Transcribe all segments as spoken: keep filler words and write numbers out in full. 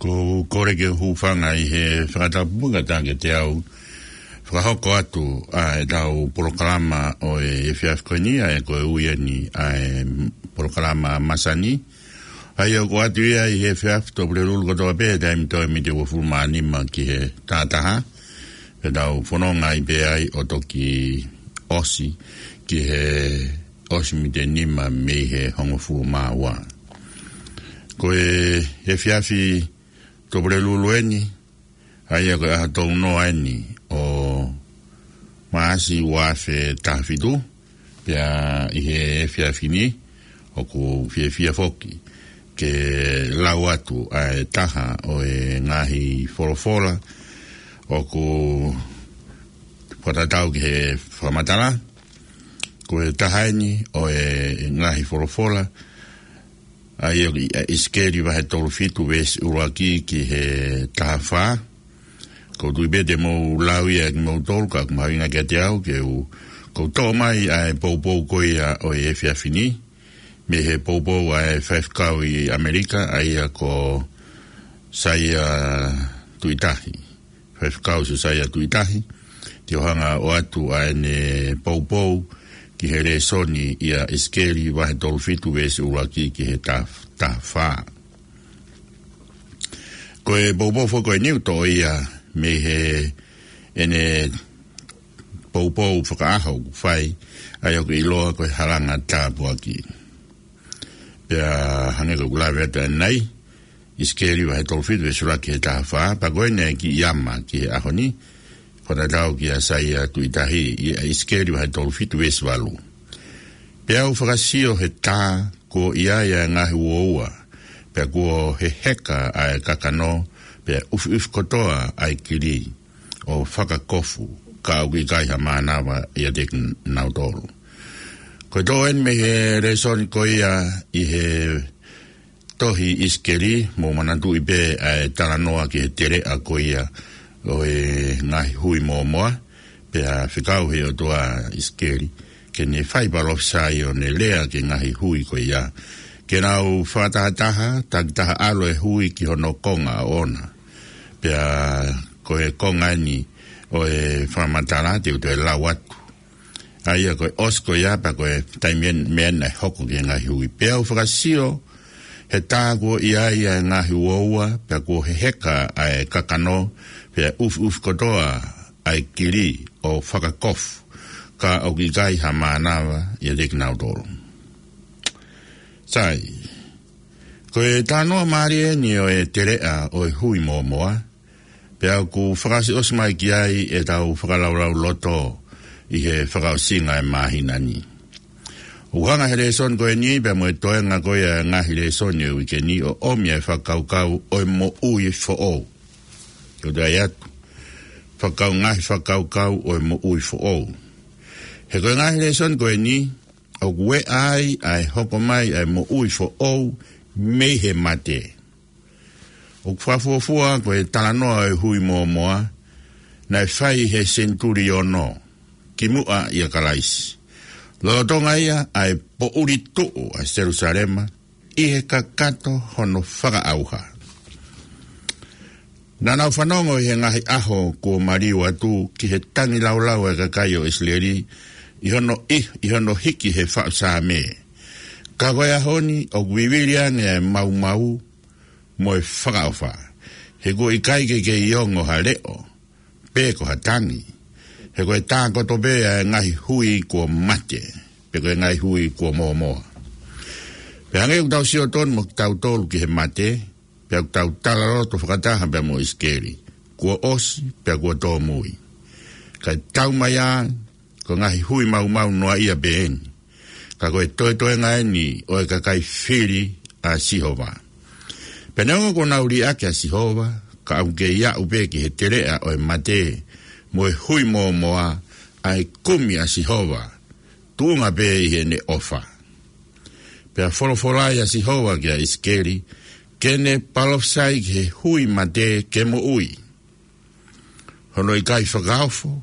Ko u kole ke u hūfanga ʻi he fakatapu ʻa e tangata ke te u fakahoko atu ʻa ʻetau polokalama ʻo e efiafi ko eni, ʻa ia ko e ui eni ʻa e polokalama masani. ʻA ia ʻoku ʻoatu ia ʻi he efiafi, Tuʻapulelulu kotoa pē, taimi toe miniti uofulu mā nima ki he taha taha. Pea tau fononga ai pē ai ʻo toki ʻosi ki he ʻosi miniti nima mei he hongofulu mā ua. Ko e efiafi Tuʻapulelulu eni, ʻa ia ko e ʻaho tolu noa eni ʻo Maʻasi ua afe taha fitu, pea ʻi he efiafi ni, ʻoku ou fiefia foki ke lau atu ʻa e taha ʻo e ngaahi folofola ʻoku fakatatau ki he fakamatala. Ko e taha eni ʻo e ngaahi folofola, ʻa ia ʻi ʻIsikeli vahe tolu fitu veesi ʻuluaki ki he taha fā. Ko u tui pē te mou lau ia ʻe kimoutolu, ka ʻoku mahuʻinga kiate au ke u, ko u toʻo mai ʻa e poupou ko ia ʻo e efiafi ni, mei he poupou ʻa e faifekau ʻi ʻAmelika, ʻa ia ko Saia Tuʻitahi. Faifekau Siosaia Tuʻitahi, te u hanga ʻo ʻoatu ʻa ʻene poupou ki he lēsoni ʻia ʻIsikeli vahe tolu fitu veesi ʻuluaki ki he taha, taha fā. Ko e poupou foki ko eni ʻoku toʻo ia mei he ʻene poupou fakaʻaho ʻoku fai, ʻa ia ʻoku ʻiloa ko e Halanga Tāpuaki. Pea hangē ko ʻeku lave atu ʻanenai, ʻIsikeli vahe tolu fitu veesi ʻuluaki ki he taha fā, pea ko eni ʻa e kiʻi ʻama ki he ʻaho ni, fakatatau kia Saia Tuʻitahi, ʻi ʻIsikeli vahe tolu fitu veesi valu. Pea u fakasio he tā kuo ʻi ai ʻa e ngaahi uoua, pea kuo heheka ʻa e kakano, pea ʻufiʻufi kotoa ʻa e kili ʻo fakakofu, ka ʻoku ʻikai ha mānava ʻiate kinautolu. Ko e toʻo eni mei he lēsoni ko ia ʻi he tohi ʻIsikeli, mou manatuʻi pē ʻa e talanoa ki he teleʻa ko ia ʻo e ngaahi hui mōmoa, pea fekau he ʻOtua ʻa ʻIsikeli ke ne fai palōfisai ʻo ne lea ki he ngaahi hui ko ia, ke nau fakatahataha, takitaha ʻalu e hui ki hono konga ʻoʻona. Pea ko e konga eni ʻo e fakamatala te u toe lau atu. ʻA ia ko e ʻosi ko ia pea ko e taimi eni, meʻa eni naʻe hoko ki he ngaahi hui. Pea u fakasio he tā kuo ʻi ai ʻa e ngaahi uoua, pea kuo heheka ʻa e kakano, pea ʻufiʻufi kotoa ʻa e kili ʻo fakakofu, ka ʻoku ʻikai ha mānava ʻiate kinautolu. Sai, ko e talanoa mālie eni ʻo e teleʻa ʻo e hui mōmoa, pea ʻoku fakaʻosiʻosi mai ki ai ʻetau fakalaulauloto ʻi he fakaʻosinga ʻo e māhina ni. ʻOku hanga he lēsoni ko eni, pea mo e toenga ko ia ʻo e ngaahi lēsoni ʻo e uike ni, ʻo ʻomi ʻa e fakakaukau ʻo e moʻui foʻou. Ko u toe ʻai atu, fakakau-, ngaahi fakakaukau ʻo e moʻui foʻou. He ko e ngaahi lēsoni ko eni, ʻoku ʻi ai ʻa e hoko mai ʻa e moʻui foʻou mei he mate. ʻOku fakafuofua ko e talanoa ʻo e hui mōmoa, naʻe fai he senituli ono kimuʻa ʻia Kalaisi. Lolotonga ia ʻa e poʻuli tuʻu ʻa Selusalema ʻi he kakato hono fakaʻauha. Naʻa nau fanongo ʻi he ngaahi ʻaho kuo maliu atu ki he tangilāulau ʻa e kakai ʻo ʻIsileli ʻi hono ʻi, ʻi hono hiki he faʻu Saame. Ka ko e ʻaho ni ʻoku vivili ange ʻa e maumau mo e fakaʻofa. He kuo ʻikai ke kei ongo ha leʻo, pe ko ha tangi. He ko e tākoto pē ʻa e ngaahi hui kuo mate, pe ko e ngaahi hui kuo mōmoa. Pea hangē ʻoku tau sio tonu mo kitautolu ki he mate, pea ʻoku tau talaloto fakataha pea mo ʻIsikeli. Kuo ʻosi, pea kuo tōmui. Kae tau mai ā, ko e ngaahi hui maumau noa ia pē eni. Ka ko e toetoenga eni ʻo e kakai fili ʻa Sihova. Pea neongo kuo nau liʻaki ʻa Sihova, ka ʻoku kei aʻu pē ki he teleʻa ʻo e mate, mo e hui mōmoa, ʻa e kumi ʻa Sihova, tuʻunga pē ʻi heʻene ʻofa. Pea folofola ʻa Sihova kia ʻIsikeli, ke ne palōfisai ki he hui mate ke moʻui. Hono ʻikai fakaofo,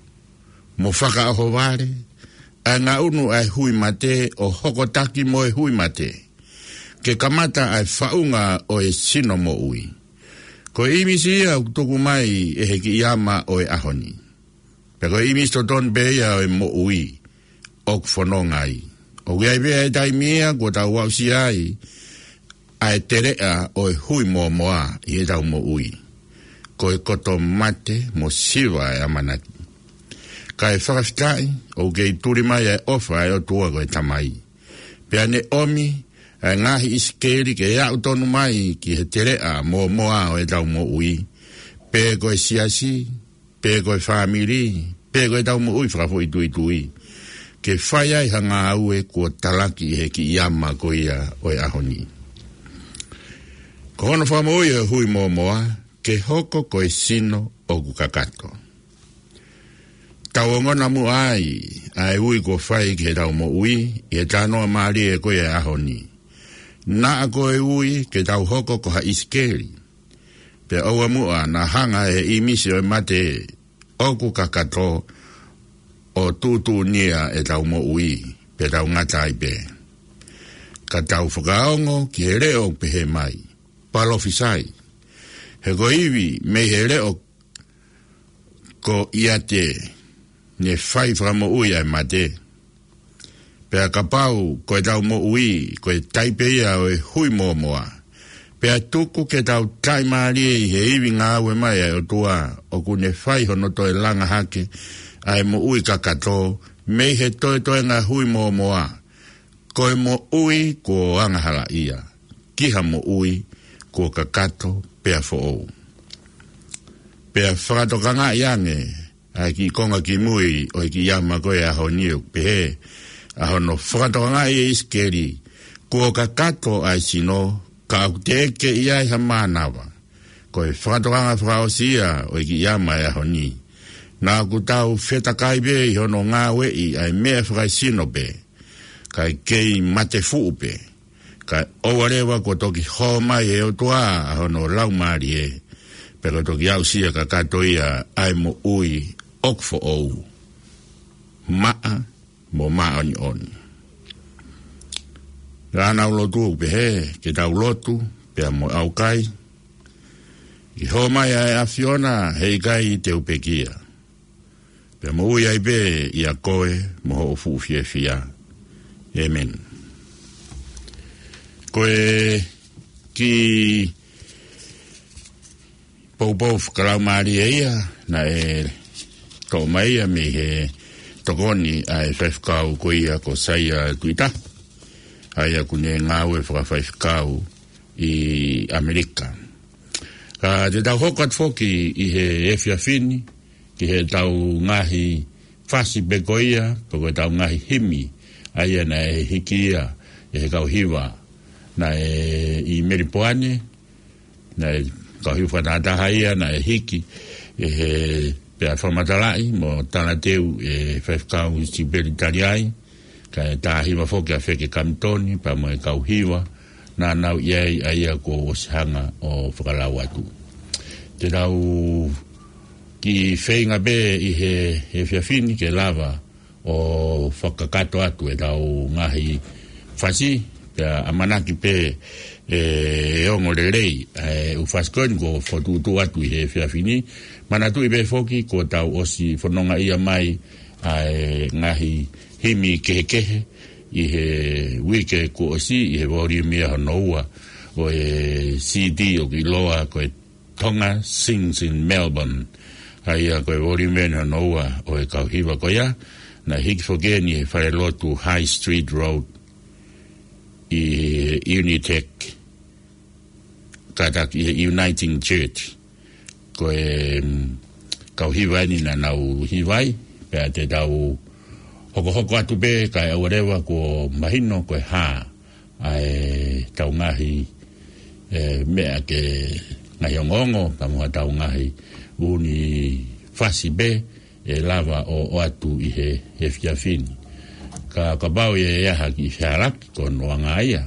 mo fakaʻohovale, ʻa e ngaʻunu ʻa e hui mate ʻo hokotaki mo e hui mate. Ke kamata ʻa e faʻunga ʻo e sino moʻui. Ko e ʻīmisi ia ʻoku tuku mai ʻe he kiʻi ama ʻo e ʻaho ni. Pea ko e ʻīmisi totonu pē ia ʻo e moʻui ʻoku fononga ai. ʻOku ʻi ai pē ʻa e taimi ia kuo tau aʻusia ai ʻa e teleʻa ʻo e hui mōmoa ʻi heʻetau moʻui. Ko e koto mate mo siva ʻa e ʻamanaki. Kae fakafetaʻi, ʻoku kei tuli mai ʻa e ʻofa ʻa e ʻOtua ko e Tamai. Pea ne ʻomi ʻa e ngaahi ʻIsikeli ke aʻu tonu mai ki he teleʻa mōmoa ʻo ʻetau moʻui. Pe ko e siasi, pe ko e fāmili, pe ko ʻetau moʻui fakafoʻituitui. Ke fai ai ha ngāue kuo talaki ʻe he kiʻi ama ko ia ʻo e ʻaho ni. Ko hono fakamoʻui ʻo e hui mōmoa, ke hoko ko e sino ʻoku kakato. Tau ongona muʻa ai ʻa e ui kuo fai ki heʻetau moʻui ʻi he talanoa mālie ko ia ʻo e ʻaho ni. Naʻa ko e ui ke tau hoko ko ha ʻIsikeli. Pea ʻoua muʻa naʻa hanga ʻe he ʻīmisi ʻo e mate ʻoku kakato ʻo tuʻutuʻunia ʻetau moʻui, pea tau ngata ai pē. Ka tau fakaongo ki he leʻo ʻoku pehē mai, palōfisai. He ko e ivi mei he leʻo ko ʻIate ne fai fakamoʻui ʻa e mate. Pea kapau ko ʻetau moʻui ko e taipe ia ʻo e hui mōmoa, pea tuku ke tau taʻimālie ʻi he ivi ngāue mai ʻa e ʻOtua ʻoku ne fai hono toe langa hake ʻa e moʻui kakato mei he toetoenga hui mōmoa, ko e moʻui kuo angahalaʻia ki ha moʻui kuo kakato pea foʻou. Pea fakatokangaʻi ange ʻa e kiʻi konga kimui ʻo e kiʻi ama ko ia ʻo e ʻaho ni, ʻoku pehē ʻa hono fakatokangaʻi ʻe ʻIsikeli, kuo kakato ʻa e sino, ka ʻoku teʻeki ke ʻi ai ha mānava. Ko e fakatokanga fakaʻosi ia ʻo e kiʻi ama ʻo e ʻaho ni. Naʻa ʻoku tau fetakai pē ʻi hono ngāueʻi ʻa e meʻa fakaesino pē, kae kei mate fuʻu pē. Kae ʻoua leva kuo toki hō mai ʻe he ʻOtua ʻa hono Laumālie, pea kuo toki aʻusia kakato ia ʻa e moʻui ʻoku foʻou, maʻa mo māʻoniʻoni. Ka naʻa ku lotu ʻo pehē ke tau lotu pea mo ʻaukai, ke hō mai ʻa e ʻAfiona, heʻikai te u pekia. Pea moʻui ai pē ʻia koe mo hoʻo fuʻu fiefia. ʻĒmeni. Ko e kiʻi poupou fakalaumālie ia naʻe toʻo mai ia mei he tokoni ʻa e faifekau ko ia ko Saia Tuita, ʻa ia ʻoku ne ngāue fakafaifekau ʻi ʻAmelika. Ka te tau hoko atu foki ʻi he efiafi ni ki heʻetau ngaahi fasi pē ko ia, pe ko ʻetau ngaahi himi, ʻa ia naʻe hiki ia ʻe he kau hiva naʻe ʻi Melipoane, naʻe kau hiva fakatahataha ia naʻe hiki ʻe he, pea fakamatalaʻi mo talateu ʻe he faifekau Sipeli Taliai, kae tā hiva foki ʻa Feke Kamitoni, pea mo e kau hiva naʻa nau ʻi ai, ʻa ia kuo ʻosi hanga ʻo fakalau atu. Te tau kiʻi feinga pē ʻi he, he efiafi ni ke lava ʻo fakakakato atu ʻetau ngaahi fasi, pea ʻamanaki pē ʻe ongo lelei ʻa e ʻū fasi ko eni kuo fokotuʻutuʻu atu ʻi he efiafi ni. Manatuʻi pē foki kuo tau ʻosi fononga ia mai ʻa e ngaahi himi kehekehe ʻi he uike kuo ʻosi, ʻi he voliumi ia hono ua ʻo e CD ʻoku ʻiloa ko e Tonga Sings in Melbourne. ʻA ia ko e voliumi hono ua ʻo e kau hiva ko ia, naʻe hiki foki eni he falelotu High Street Road ʻi he Unitec, kātaki ʻi he Uniting Church. Ko e, mm, kau hiva eni naʻa nau hiva ai, pea te tau hokohoko atu pē kae ʻoua leva kuo mahino ko e hā ʻa ʻetau ngaahi, e, meʻa ke ngaahi ongoongo, pea mo haʻatau ngaahi ʻū fasi pē ʻe lava ʻo ʻoatu ʻi he, he efiafi ni. Ka, kapau ʻe ʻi ai ha kiʻi fehālaaki ko hono anga ia,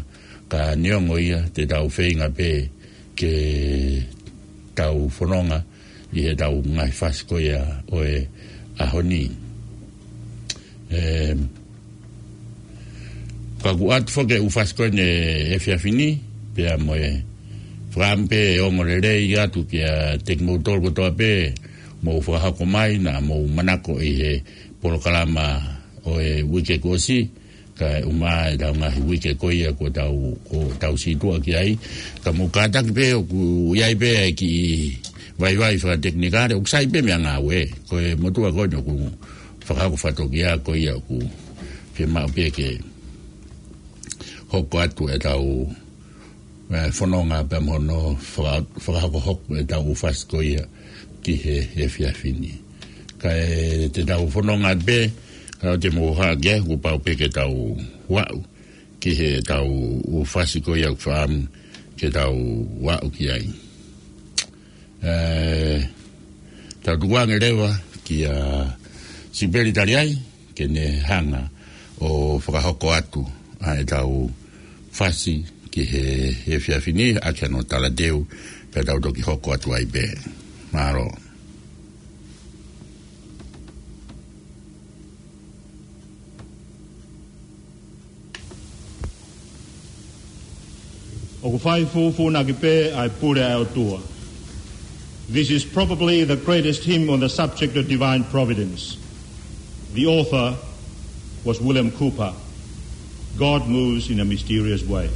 ka neongo ia te tau feinga pē ke tau fononga ʻi heʻetau ngaahi fasi ko ia ʻo e ʻaho ni. Em, ka ʻoku ʻoatu foki e ʻū fasi ko eni he efiafi ni, pea mo e Fakaʻamu pē ʻe ongo lelei atu kiate kimoutolu kotoa pē, mou fakahoko mai naʻa mou manako ʻi he polokalama ʻo e uike kuo ʻosi, kae ʻumaʻā ʻetau ngaahi uike ko ia kuo tau, kuo tau situʻa ki ai. Ka mou kātaki pē ʻoku ʻi ai pē ʻa e kiʻi vaivai fakatekinikale, ʻoku sai pē meʻa ngāue. Ko e motuʻa ko eni ʻoku fakahoko fakatokia ko ia ʻoku fiemaʻu pē ke hoko atu ʻetau, ē, fononga pea mo hono faka-, fakahokohoko ʻetau ʻū fasi ko ia ki he, he efiafi ni. Kae te tau fononga pē, ka ʻoua te mou hā ke, kuo pau pē ke tau aʻu ki heʻetau ʻū fasi ko ia ʻoku fakaʻamu ke tau aʻu ki ai. Ē, tau tukuange leva kia Sipeli Taliai, ke ne hanga ʻo fakahoko atu ʻa ʻetau fasi ki he, he efiafi ni, ʻaki hono talateu, pea tau toki hoko atu ai pē. Mālō. ʻOku fai fūfūnaki pē ʻa e pule ʻa e ʻOtua. This is probably the greatest hymn on the subject of divine providence. The author was William Cowper. God moves in a mysterious way.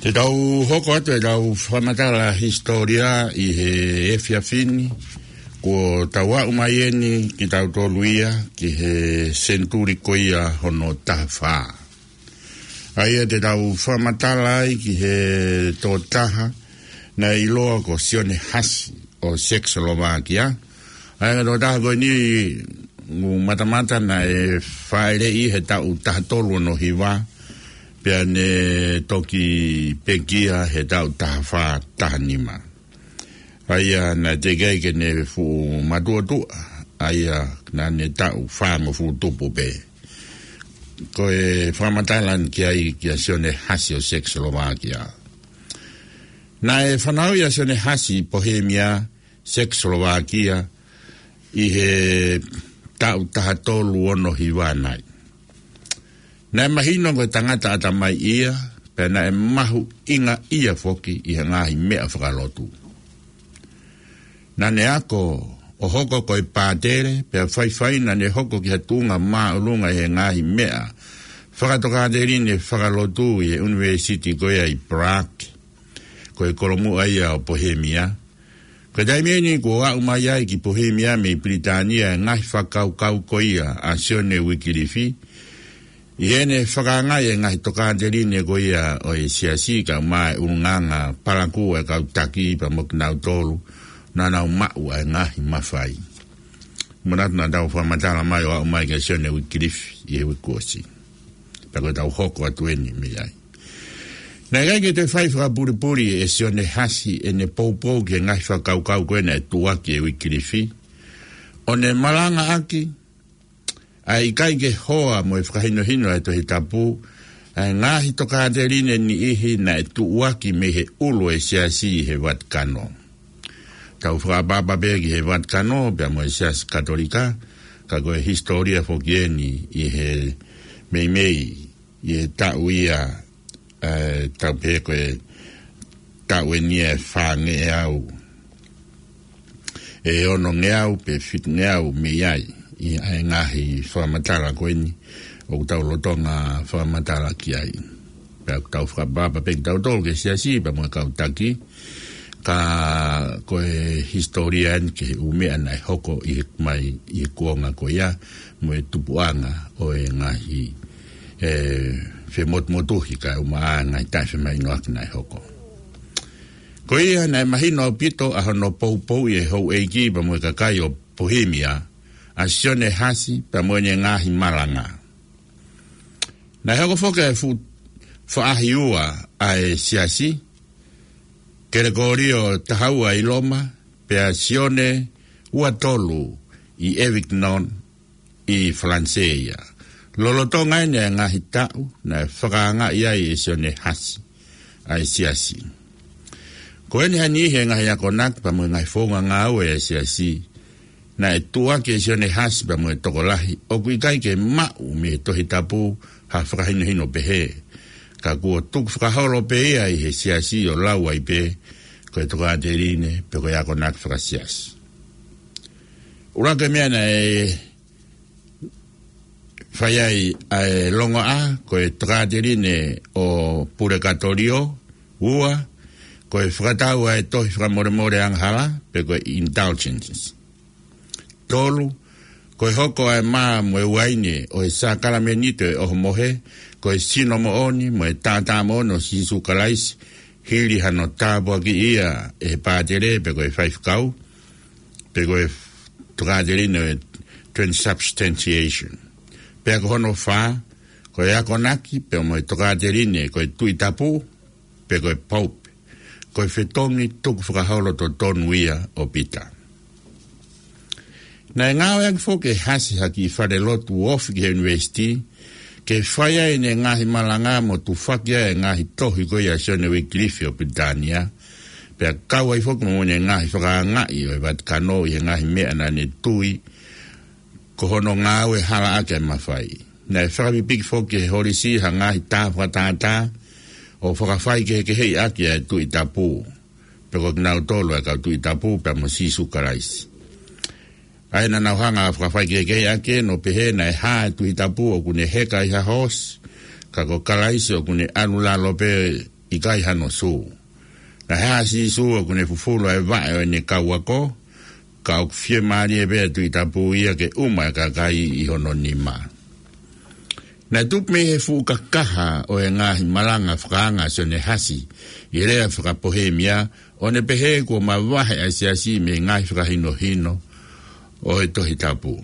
Te tau hoko atu ʻetau fakamatala hisitōlia ʻi he efiafi ni, kuo tau aʻu mai eni kitautolu ia ki he senituli ko ia hono taha fā. ʻA ia te tau fakamatala ai ki he tokotaha naʻe ʻiloa ko Sione Hasi ʻo Sekisolovakia. ʻA ia ko e tokotaha ko eni ʻoku matamata naʻe fāʻeleʻi he taʻu taha tolu ono hiva, pea ne toki pekia he taʻu taha fā taha nima. ʻA ia naʻe teʻeki ai ke ne fuʻu matuʻotuʻa, ʻa ia naʻa ne taʻu fāngofulu tupu pē. Ko e fakamatala eni ki ai kia Sione Hasi ʻo Sekisolovakia. Naʻe fanauʻi ʻa Sione Hasi ʻi Pohemia, Sekisolovakia, ʻi he taʻu taha tolu ono hiva nai. Naʻe mahino ko e tangata ʻatamai ia, pea naʻe mahuʻinga ia foki ʻi he ngaahi meʻa fakalotu. Naʻa ne ako ʻo hoko ko e pātele, pea faifai naʻa ne hoko ki ha tuʻunga māʻolunga ʻi he ngaahi meʻa fakatokāteline fakalotu ʻi he ʻUnivēsiti ko ia ʻi Prague, ko e kolomuʻa ia ʻo Pohemia. Ko e taimi ʻeni kuo aʻu mai ai ki Pohemia mei Pilitānia e ngaahi fakakaukau ko ia ʻa Sione Uikilifi, ʻi heʻene fakaangaʻi e ngaahi tokāteline ko ia ʻo e siasi kae ʻumaʻā e ʻulungaanga palakū ʻa e kau taki pea mo kinautolu naʻa nau maʻu ʻa e ngaahi mafai. Manatu naʻa tau fakamatala mai ʻo aʻu mai kia Sione Uikilifi ʻi he uike kuo ʻosi. Pea ko ʻetau hoko atu ʻeni mei ai. Naʻe ʻikai ke toe fai fakapulipuli ʻe Sione Hasi ʻene poupou ki he ngaahi fakakaukau ko ē naʻe tuʻuaki ʻe Uikilifi, ʻo ne malangaʻaki ʻa e ʻikai ke hoa mo e fakahinohino ʻa e Tohi Tapu ʻa e ngaahi tokāteline niʻihi naʻe tuʻuaki mei he ʻulu ʻo e siasi ʻi he Vatikano. Tau fakaʻapaʻapa pē ki he Vatikano pea mo e Siasi Katolika, ka ko e hisitōlia foki ʻeni ʻi he meimei ʻi he taʻu ia, ē, tau pehē ko e taʻu ʻeni ʻe fāngeau, ʻe onongeau pe fitungeau mei ai ʻi he ngaahi fakamatala ko ʻeni ʻoku tau lolotonga fakamatala ki ai. Pea ʻoku tau fakaʻapaʻapa pē kitautolu ki he siasi pea mo e kau taki, ka ko e hisitōlia ʻeni ki he ʻū meʻa naʻe hoko ʻi he mai ʻi he kuonga ko ia mo e tupuʻanga ʻo e ngaahi, ē, femotumotuhi kae ʻumaʻā e ngaahi taʻefemahinoʻaki naʻe hoko. Ko ia naʻe mahino ʻaupito ʻa hono poupouʻi ʻe he houʻeiki pea mo e kakai ʻo Pohemia ʻa Sione Hasi pea mo ʻene ngaahi malanga. Naʻe hoko foki ʻa e fuʻu faʻahi ua ʻa e siasi, Kelekolio taha ua ʻi Loma, pea Sione ua tolu ʻi Avignon ʻi Falanisē ia. Lolotonga ʻeni ʻa e ngaahi taʻu naʻe fakaangaʻi ai ʻe Sione Hasi ʻa e siasi. Ko ʻeni ha niʻihi e ngaahi akonaki pea mo e ngaahi founga ngāue ʻa e siasi naʻe tuʻuaki ʻe Sione Hasi pea mo e tokolahi ʻoku ʻikai ke maʻu mei he Tohi Tapu ha fakahinohino pehē, ka kuo tukufakaholo pē ia ʻi he siasi ʻo lau ai pē ko e tokāteline pe ko e akonaki fakasiasi. ʻUluaki meʻa naʻe fai ai ʻa e longoaʻa ko e tokāteline ʻo Pulekatōlio. Ua, ko e fakatau ʻa e tohi fakamolemole angahala pe ko e indulgences. Tolu, ko e hoko ʻa e mā mo e uaine ʻo e sākalamenito ʻo e ʻohomohe ko e sino moʻoni mo e taʻataʻa moʻoni ʻo Sīsū Kalaisi, hili hano tāpuakiʻi ia ʻe he pātele pe ko e faifekau, pe ko e tokāteline ʻo e transubstantiation. Pea ko hono fā, ko e akonaki pea mo e tokāteline ko e Tuʻi Tapu, pe ko e Pope, ko e fetongi tukufakaholo totonu ia ʻo Pita. Naʻe ngāueʻaki foki ʻe Hasi ha kiʻi falelotu ofi ki he ʻunivēsiti ke fai ai ʻene ngaahi malanga mo tufaki ai e ngaahi tohi ko ia ʻa Sione Uikilifi ʻo Pilitānia, pea kau ai foki mo ʻene ngaahi fakaangaʻi ʻo e Vatikano ʻi he ngaahi meʻa naʻa ne tui ko hono ngāue halaʻaki ʻa e mafai. Naʻe fakapipiki foki ʻe he holisi ha ngaahi tā fakatātā ʻo fakafaikehekeheʻi ʻaki ʻa e Tuʻi Tapu, pe ko kinautolu ʻa e kau Tuʻi Tapu pea mo Sīsū Kalaisi. ʻA ia naʻa nau hanga ʻo fakafaikehekeheʻi ʻaki ʻo pehē naʻe hā e Tuʻi Tapu ʻoku ne heka ʻi ha hoosi, ka ko Kalaisi ʻoku ne ʻalu lalo pē ʻikai hano sū. Naʻe hā ʻa Sīsū ʻoku ne fufulu ʻa e vaʻe ʻo ʻene kau ako, ka ʻoku fiemālie pē ʻa e Tuʻi Tapu ia ke ʻuma e kakai ʻi hono nima. Naʻe tupu mei he fuʻu kakaha ʻo e ngaahi malanga fakaanga ʻa Sione Hasi ʻi he lea fakapohēmia, ʻo ne pehē kuo mavahe ʻa e siasi mei he ngaahi fakahinohino ʻo e Tohi Tapu.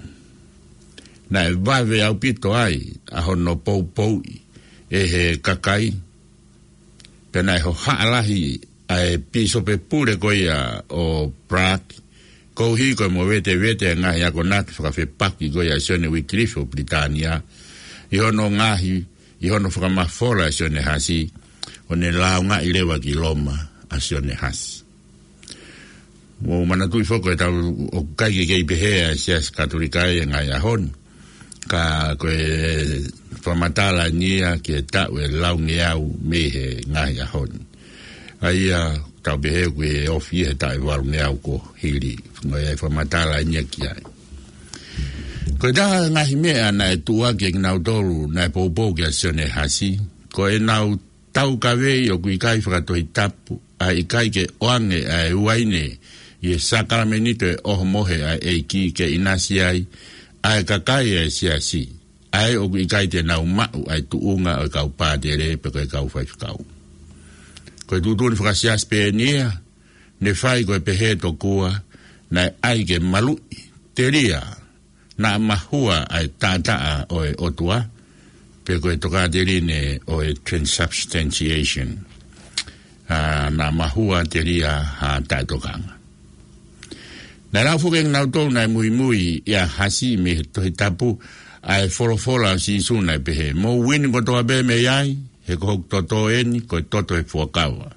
Naʻe vave ʻaupito ai ʻa hono poupouʻi ʻe he kakai, pea naʻe hohaʻa lahi ʻa e pīsope pule ko ia ʻo Prague, koeʻuhi ko e movetevete e ngaahi akonaki fakafepaki ko ia ʻa Sione Uikilifi ʻo Pilitānia, ʻi hono ngaahi, ʻi hono fakamafola ʻe Sione Hasi, ʻo ne lāungaʻi leva ki Loma ʻa Sione Hasi. Mou manatuʻi foki ʻe tau ʻoku ʻikai ke kei pehē ʻa e Siasi Katolika ʻi he ngaahi ʻaho ni. Ka ko e fakamatala ʻeni ia ki he taʻu ʻe laungeau mei he ngaahi ʻaho ni. ʻA ia tau pehē ʻoku ʻi he ofi he taʻu ʻe valungeau kuo hili. Ko e fakamatala ʻeni ia ki ai. Ko e taha e ngaahi meʻa naʻe tuʻuaki ʻe kinautolu naʻe poupou kia Sione Hasi, ko ʻenau taukaveʻi ʻoku ʻikai fakatohitapu, ʻa e ʻikai ke ʻoange ʻa e uaine ʻi he sākalamenito ʻo e ʻohomohe ʻa e ʻEiki ke ʻinasi ai ʻa e kakai ʻa e siasi, ʻa ē ʻoku ʻikai te nau maʻu ʻa e tuʻunga ʻo e kau pātele pe ko e kau faifekau. Ko e tuʻutuʻuni fakasiasi pē eni ia, ne fai ko e pehē tokua naʻe ʻai ke maluʻi, telia, naʻa mahua ʻa e taʻataʻa ʻo e ʻOtua, pe ko e tokāteline ʻo e transubstantiation. ʻA, naʻa mahua, telia, ha taʻetokanga. Naʻe lau foki ʻe kinautolu naʻe muimui ʻia Hasi mei he Tohi Tapu ʻa e folofola ʻa Sīsū naʻe pehē, "Mou inu kotoa pē mei ai, he ko hoku toto eni, ko e toto ʻo e fuakava,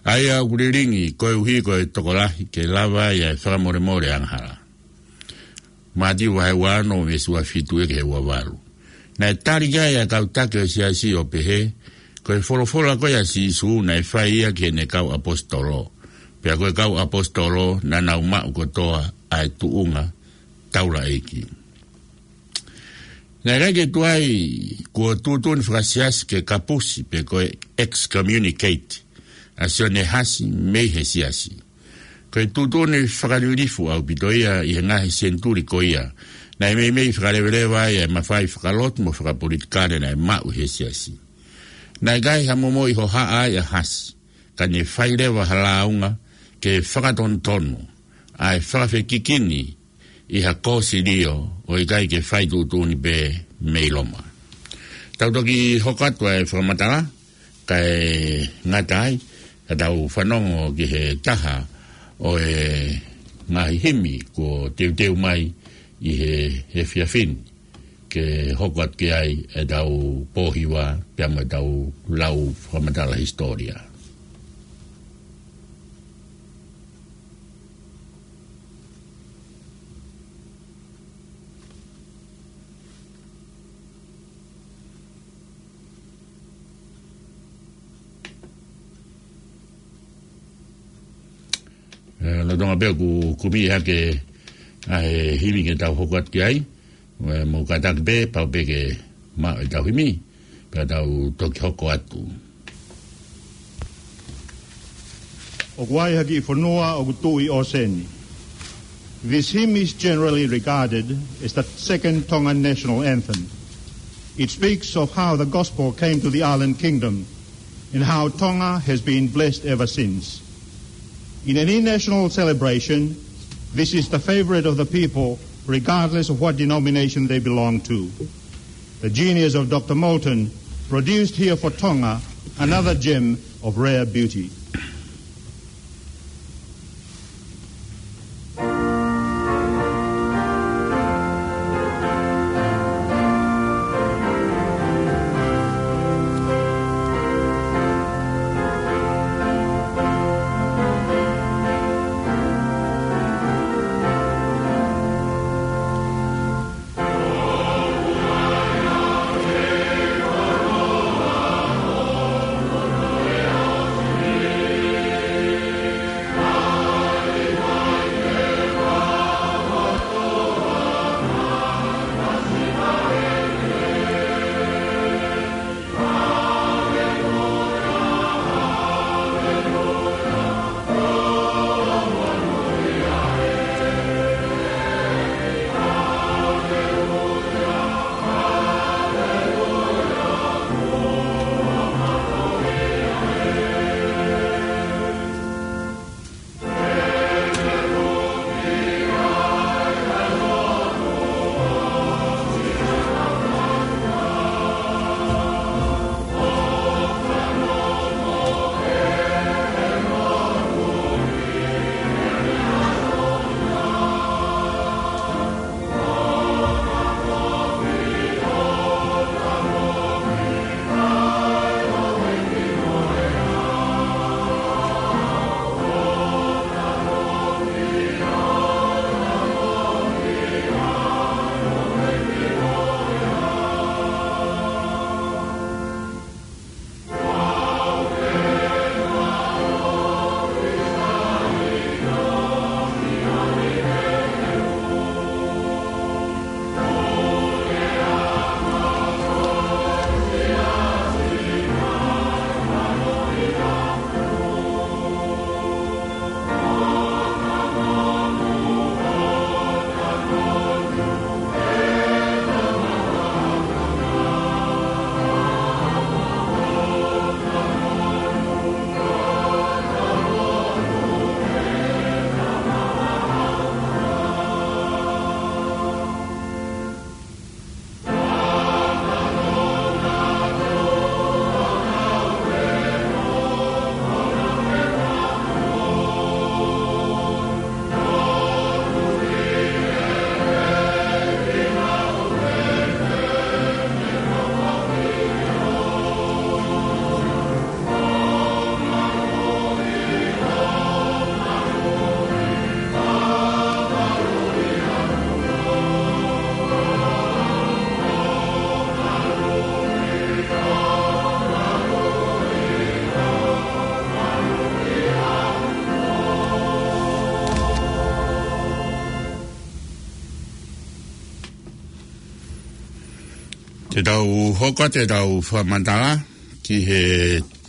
ʻa ia ʻoku lilingi koeʻuhi ko e tokolahi, ke lava ai ʻa e fakamolemole angahala." Mātiu vahe ua ono, veesi ua fitu ki he ua valu. Naʻe tali ki ai ʻa e kau taki ʻo e siasi ʻo pehē, ko e folofola ko ia ʻa Sīsū naʻe fai ia ki heʻene kau ʻaposetolo, pea ko e kau ʻaposetolo naʻa nau maʻu kotoa ʻa e tuʻunga taulaʻeiki. Naʻe ʻikai ke tuai kuo tuʻutuʻuni fakasiasi ke kapusi pe ko e excommunicate ʻa Sione Hasi mei he siasi. Ko e tuʻutuʻuni fakalilifu ʻaupito ia ʻi he ngaahi senituli ko ia. Naʻe meimei fakaleveleva ai ʻa e mafai fakalotu mo fakapolitikale naʻe maʻu he siasi. Naʻe ʻikai ha momoʻi hohaʻa ai ʻa Hasi, ka ne fai leva ha lāunga ke fakatonutonu ʻa e fakafekikini ʻi ha kōsilio ʻo ʻikai ke fai tuʻutuʻuni pē mei Loma. Tau toki hoko atu ʻa e fakamatala, kae ngata ai, ka tau fanongo ki he taha ʻo e ngaahi himi kuo teuteu mai ʻi he efiafi ni, ke hoko atu ki ai ʻetau pōhiva pea mo ʻetau lau fakamatala hisitōlia. ʻE, lolotonga pē ʻoku kumi hake ʻa e himi ke tau hoko atu ki ai, ʻe, mou kātaki pē, pau pē ke maʻu ʻetau himi, pea tau toki hoko atu. ʻOku ʻi ai ha kiʻi fonua ʻoku tuʻu ʻi ʻōseni. This hymn is generally regarded as the second Tongan national anthem. It speaks of how the gospel came to the island kingdom and how Tonga has been blessed ever since. In any national celebration, this is the favorite of the people, regardless of what denomination they belong to. The genius of Doctor Moulton produced here for Tonga another gem of rare beauty. Te tau hoko atu ʻetau fakamatala ki he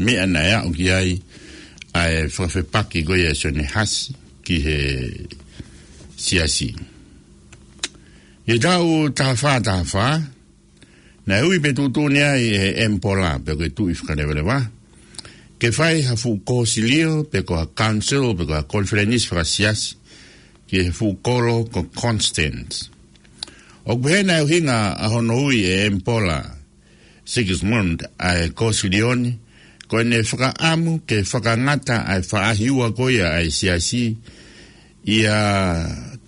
meʻa naʻe aʻu ki ai ʻa e fakafepaki ko ia ʻa Sione Hasi ki he siasi. ʻI he taʻu taha fā taha fā, naʻe ui pea tuʻutuʻuni ai ʻe he ʻEmipola, pe ko e tuʻi fakalevaleva, ke fai ha fuʻu kōsilio, pe ko ha council, pe ko ha konifelenisi fakasiasi, ki he fuʻu kolo ko Constance. ʻOku pehē naʻe ʻuhinga ʻa hono ui ʻe he ʻEmipola Sigismund ʻa e kōsilio ni, ko ʻene fakaʻamu ke fakangata ʻa e faʻahi ua ko ia ʻa e siasi, ʻi he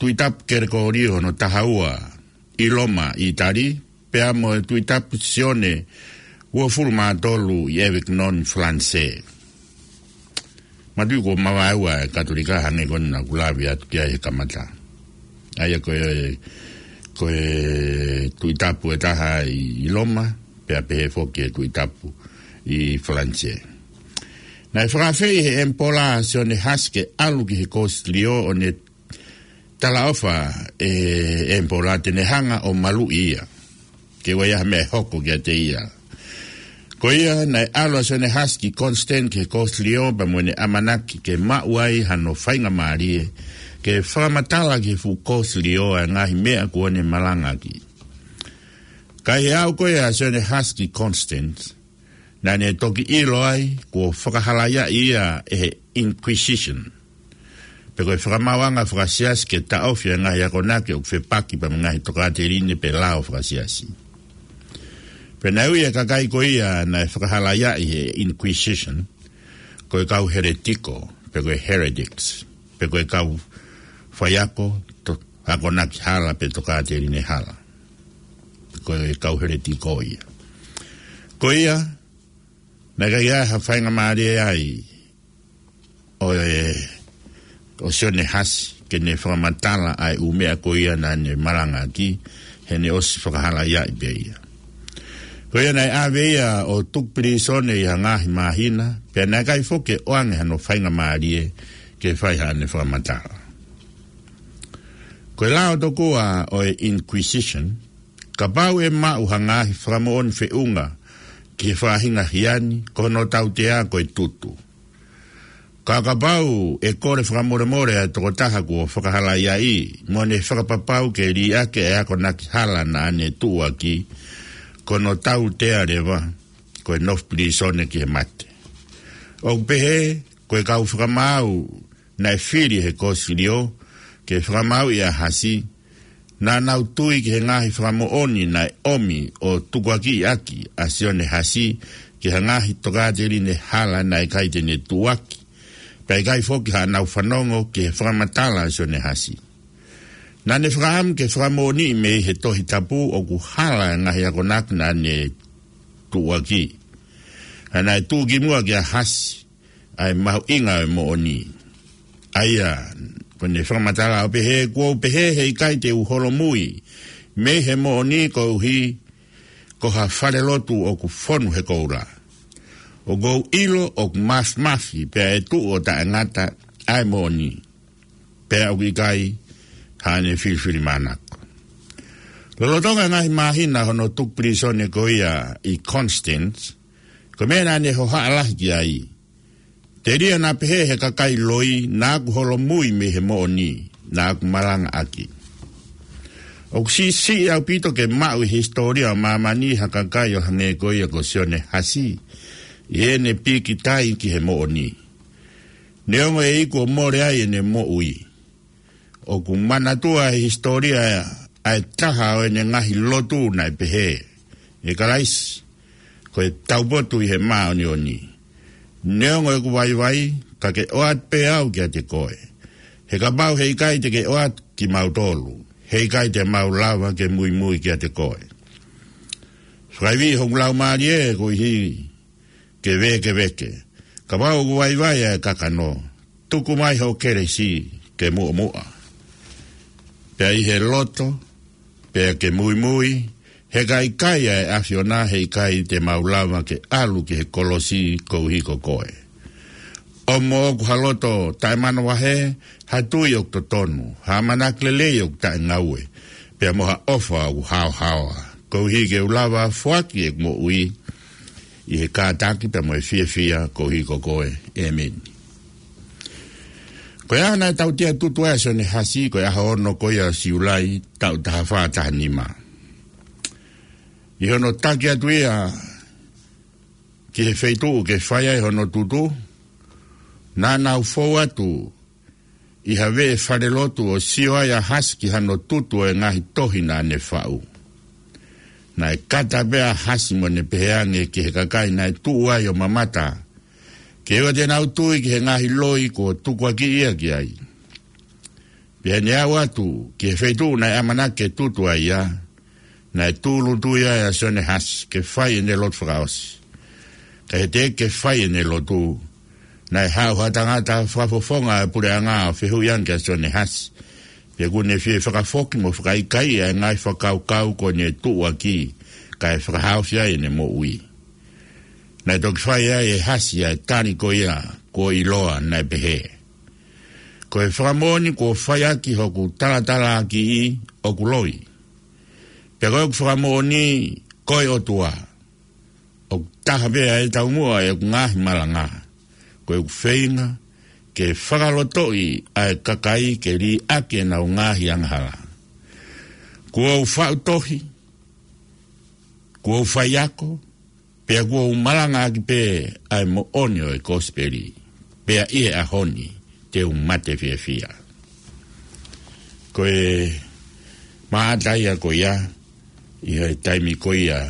Tuʻi Tapu Kelekōlio hono taha ua ʻi Loma, ʻItali, pea mo e Tuʻi Tapu Sione uofulu mā tolu ʻi Avignon, Falanisē. Mātuʻaki ʻoku mavaeua e Katolika hangē ko eni naʻa ku lave atu ki ai he kamata. ʻA ia ko e, ko e Tuʻi Tapu ʻe taha ʻi, ʻi Loma, pea pehē foki e Tuʻi Tapu ʻi Falanisē. Naʻe fakaafeʻi ʻe he ʻEmipola ʻa Sione Hasi ke ʻalu ki he kōsilio ʻo ne talaʻofa ʻe he ʻEmipola te ne hanga ʻo maluʻi ia, ke ʻoua ʻe ʻi ai ha meʻa ʻe hoko kiate ia. Ko ia, naʻe ʻalu ʻa Sione Hasi ki Constance ki he kōsilio pea mo ʻene ʻamanaki ke maʻu ai hano faingamālie ke fakamatala ki he fuʻu kōsilio ʻa e ngaahi meʻa kuo ne malangaʻaki. Ka ʻi he aʻu ko ia ʻa Sione Hasi ki Constance, naʻa ne toki ʻilo ai kuo fakahalaiaʻi ia ʻe he Inquisition, pe ko e fakamaauʻanga fakasiasi ke taʻofi ʻa e ngaahi akonaki ʻoku fepaki pea mo e ngaahi tokāteline pe lao fakasiasi. Pea naʻe ui e kakai ko ia naʻe fakahalaiaʻi ʻe he Inquisition ko e kau heletiko, pe ko e heretics, pe ko e kau faiako to-, akonaki hala pe tokāteline hala. Ko e kau heletiko ia. Ko ia, naʻe ʻikai ha faingamālie ai ʻo e, ʻo Sione Hasi ke ne fakamatala ʻa e ʻū meʻa ko ia naʻa ne malangaʻaki, he naʻe ʻosi fakahalaiaʻi pē ia. Ko ia naʻe ʻave ia ʻo tuku pilīsone ʻi ha ngaahi māhina, pea naʻe ʻikai foki ke ʻoange hano faingamālie ke fai haʻane fakamatala. Ko e lao tokua ʻo e Inquisition, kapau ʻe maʻu ha ngaahi fakamoʻoni feʻunga ki he faʻahinga hia ni, ko hono tautea ko e tutu. Ka kapau ʻe kole fakamolemole ʻa e tokotaha kuo fakahalaiaʻi, mo ne fakapapau ke liʻaki ʻa e akonaki hala naʻa ne tuʻuaki, ko hono tautea leva ko e nofo pilīsone ki he mate. ʻOku pehē, ko e kau fakamaau naʻe fili ʻe he kōsilio ke fakamaauʻi ʻa Hasi, naʻa nau tui ki he ngaahi fakamoʻoni naʻe ʻomi ʻo tukuakiʻi ʻaki ʻa Sione Hasi ki ha ngaahi tokāteline hala naʻe ʻikai te ne tuʻuaki, pea ʻikai foki haʻanau fanongo ki he fakamatala ʻa Sione Hasi. Naʻa ne fakaʻamu ke fakamoʻoniʻi mei he Tohi Tapu ʻoku hala e ngaahi akonaki naʻa ne tuʻuaki. Ka naʻe tuʻu kimuʻa kia Hasi ʻa e mahuʻinga ʻo e moʻoni. ʻA ia, ko ʻene fakamatala ʻo pehē, kuo u pehē heʻikai te u holomui mei he moʻoni koeʻuhi ko ha falelotu ʻoku fonu he koula. ʻOku ou ʻilo ʻoku māfimafi pea ʻe tuʻu ʻo taʻengata ʻa e moʻoni, pea ʻoku ʻikai haʻane filifilimānako. Lolotonga e ngaahi māhina hono tuku pilīsone ko ia ʻi Constance, ko e meʻa naʻa ne hohaʻa lahi ki ai, telia naʻa pehē ʻe he kakai loi naʻa ku holomui mei he moʻoni naʻa ku malangaʻaki. ʻOku siʻisiʻi ʻaupito ke maʻu ʻi he hisitōlia ʻo māmani ha kakai ʻo hangē ko ia ko Sione Hasi, ʻi heʻene pīkitai ki he moʻoni, neongo ʻe iku ʻo mole ai ʻene moʻui. ʻOku manatua ʻe he hisitōlia ʻa e taha ʻo ʻene ngaahi lotu naʻe pehē, ʻE Kalaisi, ko e taupotu ʻi he māʻoniʻoni, neongo ʻeku vaivai, ka ke ʻoatu pē au kiate koe. He kapau heʻikai te ke ʻoatu kimautolu, heʻikai te mau lava ke muimui kiate koe. Fakaivia hoku laumālie koeʻuhi ke vēkeveke. Kapau ʻoku vaivai ʻa e kakano, tuku mai hoʻo kelesi ke muʻomuʻa. Pea ʻi he loto, pea ke muimui, he ka ʻikai ʻa e ʻAfiona heʻikai te mau lava ke ʻalu ki he kolosi koeʻuhi ko koe. ʻOmo ʻoku ha loto taʻemanavahē, ha tui ʻoku totonu, ha ʻamanaki lelei ʻoku taʻengaue, pea mo ha ʻofa ʻoku haohaoa. koeʻuhi ke u lava foaki ʻeku moʻui ʻi he kātaki pea mo e fiefia koeʻuhi ko koe. ʻĒmeni. Ko e ʻaho naʻe tautea tutu ai ʻa Sione Hasi, ko e ʻaho ono ko ia ʻo Siulai, taʻu taha fā taha nima. ʻI hono taki atu ia ki he feituʻu ke fai ai hono tutu, naʻa nau fou atu ʻi ha veʻe falelotu ʻo sio ai ʻa Hasi ki hano tutu ʻo e ngaahi tohi naʻa ne faʻu. Naʻe kata pē ʻa Hasi mo ne pehē ange ki he kakai naʻe tuʻu ai ʻo mamata, ke ʻoua te nau tui ki he ngaahi loi kuo tukuakiʻi ia ki ai. Pea ne aʻu atu ki he feituʻu naʻe ʻamanaki ke tutu ai ia, naʻe tūʻulutui ai ʻa Sione Hasi ke fai ʻene lotu fakaʻosi. Ka ʻi he teʻeki ke fai ʻene lotu, naʻe haʻu ha tangata fakafofonga ʻo e puleʻanga ʻo fehuʻi ange kia Sione Hasi pe ʻoku ne fie fakafoki mo fakaʻikaiʻi ʻa e ngaahi fakakaukau kuo ne tuʻuaki kae fakahaofi ai ʻene moʻui. Naʻe toki fai ai ʻe Hasi ʻa e tali ko ia kuo ʻiloa, naʻe pehē: Ko e fakamoʻoni kuo fai ʻaki hoku talatalaakiʻi ʻoku loi. Pea ko ʻeku fakamoʻoni, ko e ʻOtua, ʻoku taha pē ʻa e taumuʻa ʻo ʻeku ngaahi malanga. Ko ʻeku feinga ke fakalotoʻi ʻa e kakai ke liʻaki ʻenau ngaahi angahala. Kuo u faʻu tohi, kuo u faiako, pea kuo u malangaʻaki pē ʻa e moʻoni ʻo e kosipeli. Pea ʻi he ʻaho ni te u mate fiefia. Ko e maʻata ia ko ia, ʻi he taimi ko ia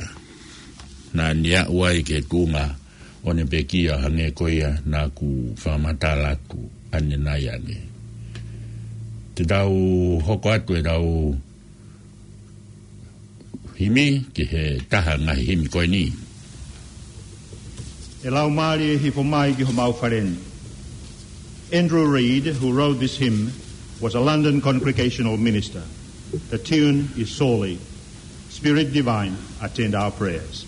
naʻa ne aʻu ai ki he tuʻunga ʻo ne pekia, hangē ko ia naʻa ku fakamatala atu ʻanenai ange. Te tau hoko atu ʻetau himi ki he taha ngaahi himi ko eni. ʻE Laumālie Hifo Mai ki Homau Fale Ni. Andrew Reid, who wrote this hymn, was a London Congregational minister. The tune is Soli. Spirit Divine, attend our prayers.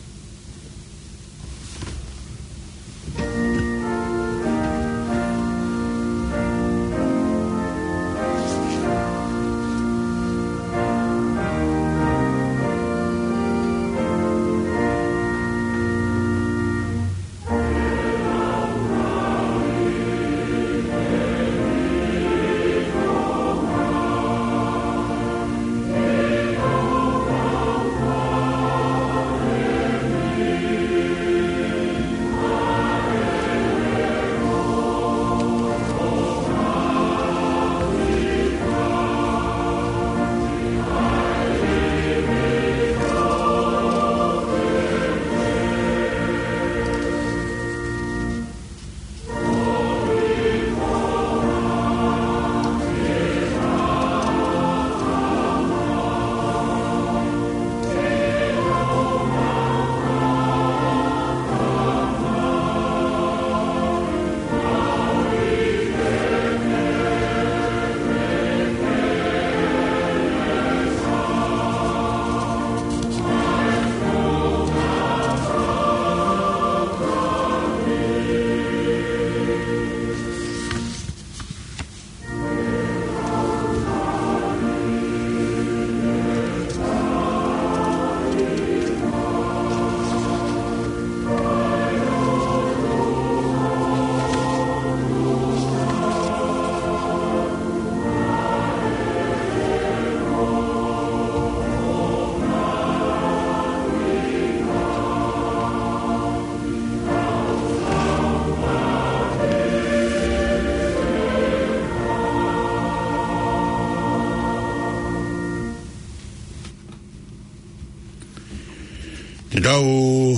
Te tau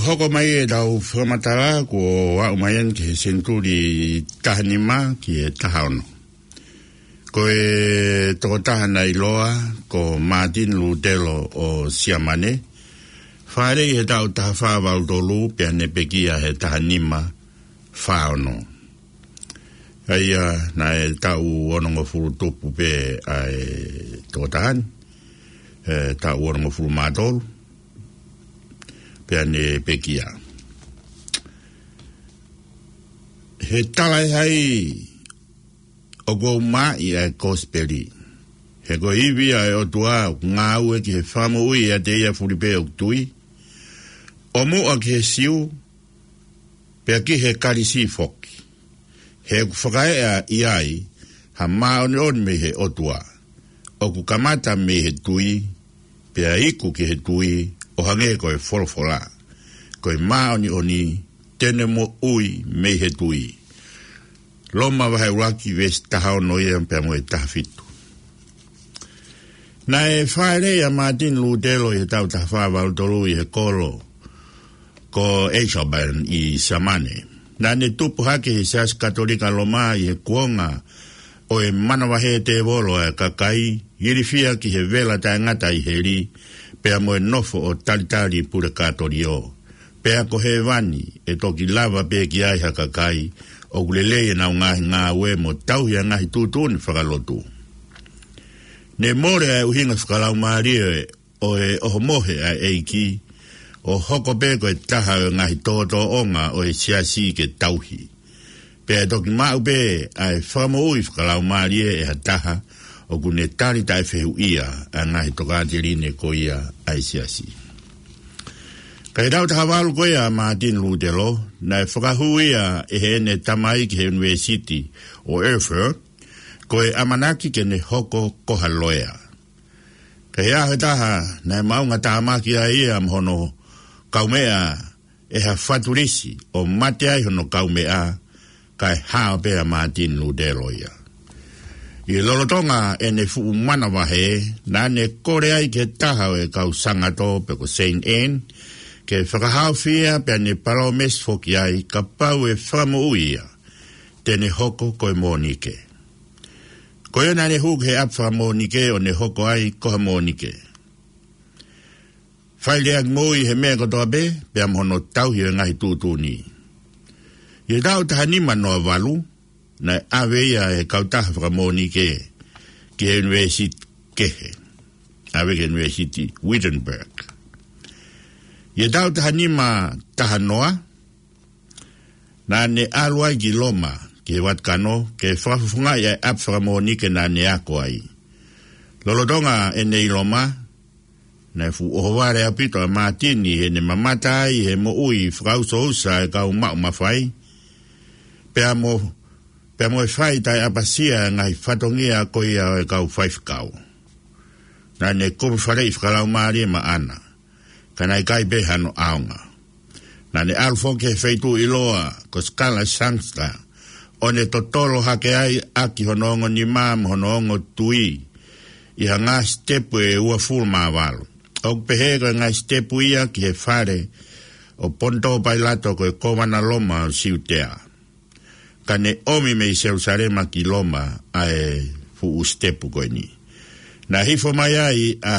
hoko mai ʻetau fakamatala kuo aʻu mai eni ki he senituli taha nima ki he taha ono. Ko e tokotaha naʻe ʻiloa ko Mātini Lūtelo ʻo Siamane, fāʻeleʻi he taʻu taha fā valu tolu pea ne pekia he taha nima fā ono. ʻA ia naʻe taʻu onongofulu tupu pē ʻa e tokotaha ni, ʻe, taʻu onongofulu mā tolu pea ne pekia. He tala ʻe hai ʻoku ou maʻu ʻa e kosipeli? He ko e ivi ʻa e ʻOtua ʻoku ngāue ki he fakamoʻui ʻiate ia fulipē ʻoku tui, ʻo muʻa ki he Siu, pea ki he Kalisi foki. He ʻoku fakaeʻa ʻi ai ha māʻoniʻoni mei he ʻOtua, ʻoku kamata mei he tui, pea iku ki he tui, ʻo hangē ko e folofola. Ko e māʻoniʻoni te ne moʻui mei he tui. Loma vahe ʻuluaki veesi taha ono ia pea mo e taha fitu. Naʻe fāʻeleʻi ʻa Mātini Lūtelo ʻi he taʻu taha fā valu tolu ʻi he kolo ko Eisleben ʻi Siamane. Naʻa ne tupu hake he Siasi Katolika Loma ʻi he kuonga ʻo e manavahē tēvolo ʻa e kakai, ilifia ki he vela taʻengata ʻi heli, pea mo e nofo ʻo talitali pulekatōlio. Pea ko hēvani ʻe toki lava pē ki ai ha kakai ʻoku lelei ʻenau ngaahi ngāue mo tauhi ʻa e ngaahi tuʻutuʻuni fakalotu. Ne mole ʻa e ʻuhinga fakalaumālie ʻo e ʻohomohe ʻa e ʻEiki, ʻo hoko pē ko e taha ʻo e ngaahi tōtōʻonga ʻo e siasi ke tauhi. Pea ʻe toki maʻu pē ʻa e fakamoʻui fakalaumālie ʻe ha taha ʻoku ne tali taʻefehuʻia ʻa e ngaahi tokāteline ko ia ʻa e siasi. Ka ʻi he taʻu taha valu ko ia ʻa Mātini Lūtelo, naʻe fakahū ia ʻe heʻene tamai ki he ʻUnivēsiti ʻo Erfurt, ko e ʻamanaki ke ne hoko ko ha loea. Ka ʻi he ʻaho ʻe taha, naʻe maʻunga tāmaki ai ia mo hono kaumeʻa ʻe ha fatulisi, ʻo mate ai hono kaumeʻa, kae hao pē ʻa Mātini Lūtelo ia. ʻI he lolotonga ʻene fuʻu manavahē, naʻa ne kole ai ki he taha ʻo e kau Sangato pe ko Saint Anne, ke fakahaofi ia pea ne palōmesi foki ai kapau ʻe fakamoʻui ia, te ne hoko ko e Mōnike. Ko ia naʻa ne hū ki he ʻapi fakaMōnike ʻo ne hoko ai ko ha Mōnike. Fai lea ki mui he meʻa kotoa pē, pea mo hono tauhi ʻo e ngaahi tuʻutuʻuni. ʻI he taʻu taha nima noa valu, naʻe ʻave ia ʻe he kautaha fakaMōnike ki he ʻUnivēsiti kehe. ʻAve ki he ʻUnivēsiti Wittenberg. ʻI he taʻu taha nima taha noa, naʻa ne ʻalu ai ki Loma, ki he Vatikano, ke fakafofongaʻi ʻa e ʻapi fakaMōnike naʻa ne ako ai. Lolotonga ʻene ʻi Loma, naʻe fuʻu ʻohovale ʻaupito ʻa Mātini heʻene mamata ai he moʻui fakaʻusoʻusa ʻa e kau maʻu mafai, pea mo, pea mo e fai taʻeʻapasia ʻa e ngaahi fatongia ko ia ʻo e kau faifekau. Naʻa ne kumi faleʻi fakalaumālie maʻana, ka naʻe ʻikai pē hano ʻaonga. Naʻa ne ʻalu foki he feituʻu ʻiloa ko Skala Sangsta, ʻo ne totolo hake ai ʻaki hono ongo nima mo hono ongo tui ʻi ha ngaahi sitepu ʻe uofulu mā valu. ʻOku pehē ko e ngaahi sitepu ia ki he fale ʻo Ponitō Pailato ko e kōvana Loma ʻo Siutea. Ka ne ʻomi mei Selusalema ki Loma ʻa e fuʻu sitepu ko eni. Naʻe hifo mai ai ʻa,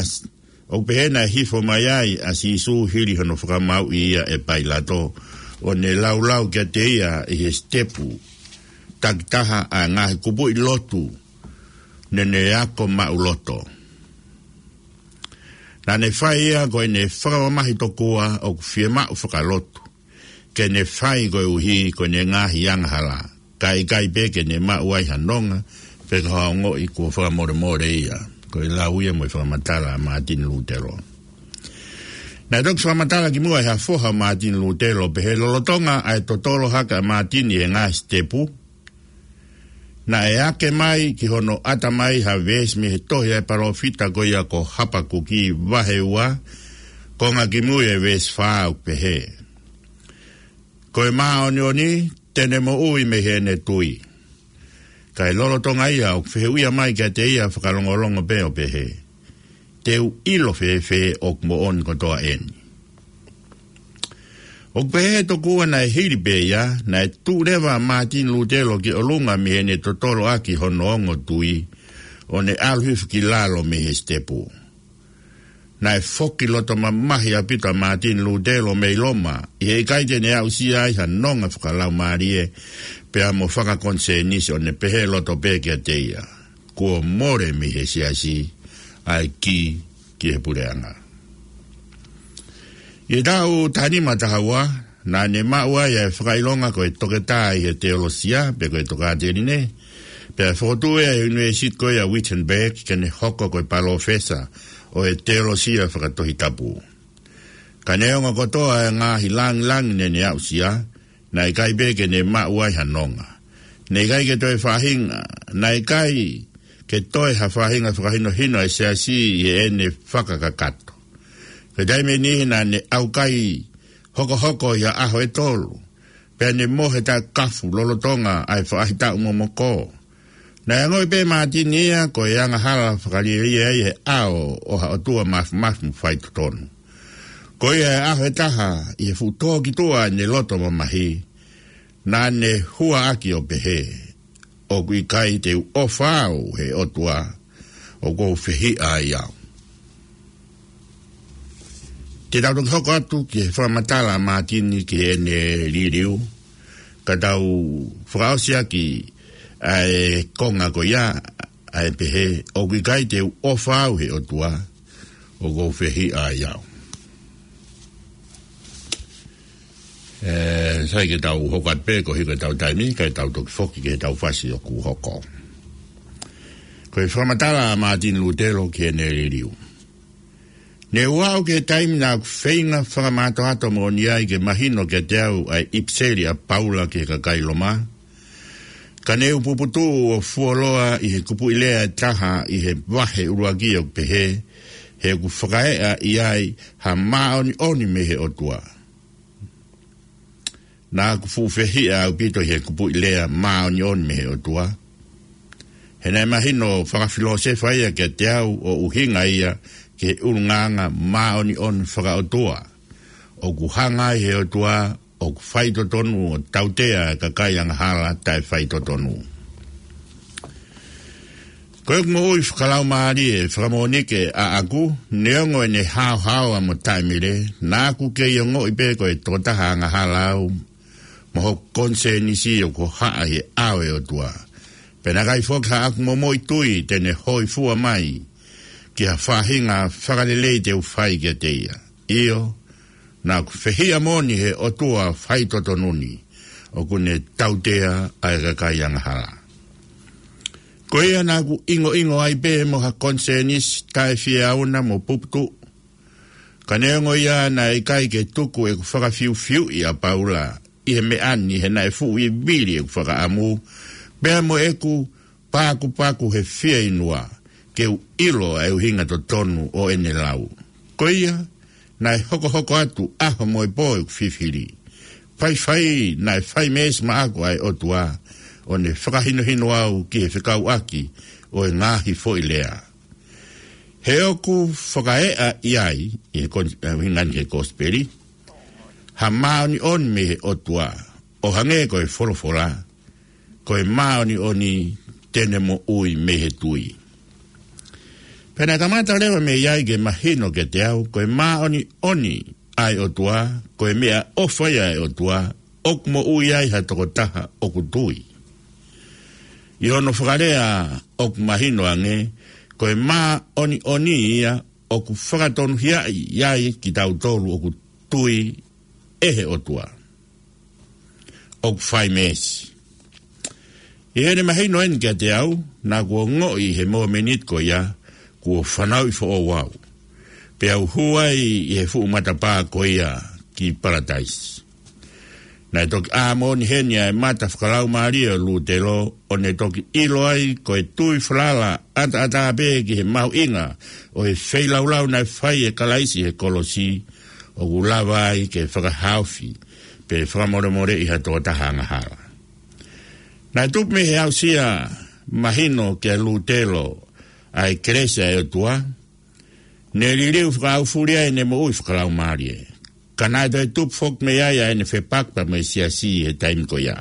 ʻoku pehē naʻe hifo mai ai ʻa Sīsū hili hono fakamāuʻi ia ʻe Pailato, ʻo ne laulau kiate ia ʻi he sitepu takitaha ʻa e ngaahi kupuʻi lotu naʻa ne ako maʻuloto. Naʻa ne fai ia ko ʻene fakamamahi tokua ʻoku fiemaʻu fakalotu ke ne fai koeʻuhi ko ʻene ngaahi angahala, kae ʻikai pē ke ne maʻu ai ha nonga pe ko ha ongoʻi kuo fakamolemole ia. Ko e lau ia mo e fakamatala ʻa Mātini Lūtelo. Naʻe toki fakamatala kimuʻa ʻe ha foha ʻo Mātini Lūtelo, pehē lolotonga ʻa e totolo hake ʻa Mātini he ngaahi sitepu, naʻe ake mai ki hono ʻatamai ha veesi mei he tohi ʻa e palōfita ko ia ko Hapakuki vahe ua, konga kimui ʻa e veesi fā, ʻoku pehē: Ko e māʻoniʻoni te ne moʻui mei heʻene tui. Kae lolotonga ia ʻoku fehuʻia mai kiate ia fakalongolongo pē ʻo pehē: Te u ʻilo fēfē ʻoku moʻoni kotoa eni? ʻOku pehē tokua naʻe hili pē ia, naʻe tuʻu leva ʻa Mātini Lūtelo ki ʻolunga mei heʻene totolo ʻaki hono ongo tui, ʻo ne ʻalu hifo ki lalo mei he sitepu. Naʻe foki loto mamahi ʻaupito ʻa Mātini Lūtelo mei Loma, ʻi he ʻikai te ne aʻusia ai ha nonga fakalaumālie, pea mo fakakonisēnisi, ʻo ne pehē loto pē kiate ia: Kuo mole mei he siasi ʻa e kī ki he puleʻanga. ʻI he taʻu taha nima taha ua, naʻa ne maʻu ai ʻa e fakaʻilonga ko e toketā ʻi he teolosia, pe ko e tokāteline, Pea fokotuʻu ʻe ia ʻi he ʻUnivēsiti ko ia ʻa Wittenberg ke ne hoko ko e palōfesa ʻo e teolosia fakatohitapu. Ka neongo kotoa e ngaahi langilangi naʻa ne aʻusia, naʻe ʻikai pē ke ne maʻu ai ha nonga. Naʻe ʻikai ke toe faʻahinga, naʻe ʻikai ke toe ha faʻahinga fakahinohino ʻa e siasi ʻi heʻene fakakakato. Ko e taimi ʻe niʻihi naʻa ne ʻaukai hokohoko ʻi ha ʻaho ʻe tolu, pea ne mohe taʻekafu lolotonga ʻa e faʻahitaʻu momoko. Naʻe ongoʻi pē ʻe Mātini ia ko e angahala fakalielia ia ʻi he ʻao ʻo ha ʻOtua mafimafi mo faitotonu. Ko ia ʻi he ʻaho ʻe taha, ʻi he fuʻu tō ki tuʻa ʻene loto mamahi, naʻa ne hua ʻaki ʻo pehē, ʻOku ʻikai te u ʻofa au he ʻOtua ʻoku ou fehiʻa ai au. Te tau toki hoko atu ki he fakamatala ʻa Mātini ki heʻene liliu, ka tau fakaʻosi ʻaki ʻa e konga ko ia, ʻa e pehē, ʻOku ʻikai te u ʻofa au he ʻOtua ʻoku ou fehiʻa ai au. ʻE, sai ke tau hoko atu pē ko e hiko ʻetau taimi, kae tau toki foki ki heʻetau fasi ʻoku hoko. Ko e fakamatala ʻa Mātini Lūtelo ki heʻene liliu. Ne u aʻu ki he taimi naʻa ku feinga fakamātoato moʻoni ai ke mahino kiate au ʻa e ʻipiseli ʻa Paula ki he kakai Loma. Ka ne u puputuʻu ʻo fuoloa ʻi he kupuʻi lea ʻe taha ʻi he vahe ʻuluaki ʻoku pehē, He ʻoku fakaeʻa ʻi ai ha māʻoniʻoni mei he ʻOtua. Naʻa ku fuʻu fehiʻa ʻaupito ʻi he kupuʻi lea māʻoniʻoni mei he ʻOtua. He naʻe mahino fakafilōsefa ia kiate au ʻo ʻuhinga ia ki he ʻulungaanga māʻoniʻoni fakaʻotua. ʻOku hanga ai he ʻOtua ʻoku faitotonu ʻo tautea e kakai angahala taʻefaitotonu. Ko ʻeku moʻui fakalaumālie fakamoʻoni ke ʻaʻaku, neongo ʻene haohaoa mo taʻemele, naʻa ku kei ongoʻi pē ko e tokotaha angahala au, mo hoku konisēnisi ʻoku hohaʻa ʻi he ʻao ʻo e ʻOtua. Pea naʻe ʻikai foki haʻaku momoʻi tui te ne hōifua mai ki ha faʻahinga fakalelei te u fai kiate ia. ʻIo, naʻa ku fehiʻa moʻoni he ʻOtua faitotonu ni, ʻoku ne tautea ʻa e kakai angahala. Ko ia naʻa ku ʻingoʻingo ai pē mo ha konisēnisi taʻefieauna mo puputuʻu. Ka neongo ia naʻe ʻikai ke tuku ʻeku fakafiufiuʻi ʻa Paula ʻi he meʻa ni he naʻe fuʻu vivili ʻeku fakaʻamu, pea mo ʻeku pakupaku he fieinua, ke u ʻilo ʻa e ʻuhinga totonu ʻo ʻene lau. Ko ia, naʻe hokohoko atu ʻaho mo e pō ʻeku fifili. Faifai, naʻe fai meesi maʻaku ʻa e ʻOtua, ʻo ne fakahinohino au ki he fekauʻaki ʻo e ngaahi foʻi lea. He ʻoku fakaeʻa ʻi ai, ʻi he kon-, ʻi he ngaahi he kosipeli, ha māʻoniʻoni mei he ʻOtua, ʻo hangē ko e folofola, ko e māʻoniʻoni te ne moʻui mei he tui. Pea naʻe kamata leva mei ai ke mahino kiate au, ko e māʻoniʻoni ʻa e ʻOtua, ko e meʻaʻofa ia ʻa e ʻOtua, ʻoku moʻui ai ha tokotaha ʻoku tui. ʻI hono fakalea ʻoku mahino ange, ko e māʻoniʻoni ia ʻoku fakatonuhiaʻi ai kitautolu ʻoku tui ʻe he ʻOtua. ʻOku fai meesi. ʻI heʻene mahino eni kiate au, naʻa ku ongoʻi he mōmeniti ko ia, kuo fanauʻi foʻou au. Pea u hū ai ʻi he fuʻu matapā ko ia ki Palataisi. Naʻe toki ʻā moʻoni heni ʻa e mata fakalaumālie ʻo Lūtelo, ʻo ne toki ʻilo ai ko e tui falala ʻataʻatā pē ki he mahuʻinga ʻo e feilaulau naʻe fai ʻe Kalaisi he kolosi, ʻoku lava ai ke fakahaofi, pe fakamolemoleʻi ha tokotaha angahala. Naʻe tupu mei he aʻusia mahino kia Lūtelo ʻa e kelesi ʻa e ʻOtua, ne liliu fakaʻaufuli ai ʻene moʻui fakalaumālie. Ka naʻe toe tupu foki mei ai ʻa ʻene fepaki pea mo e siasi he taimi ko ia.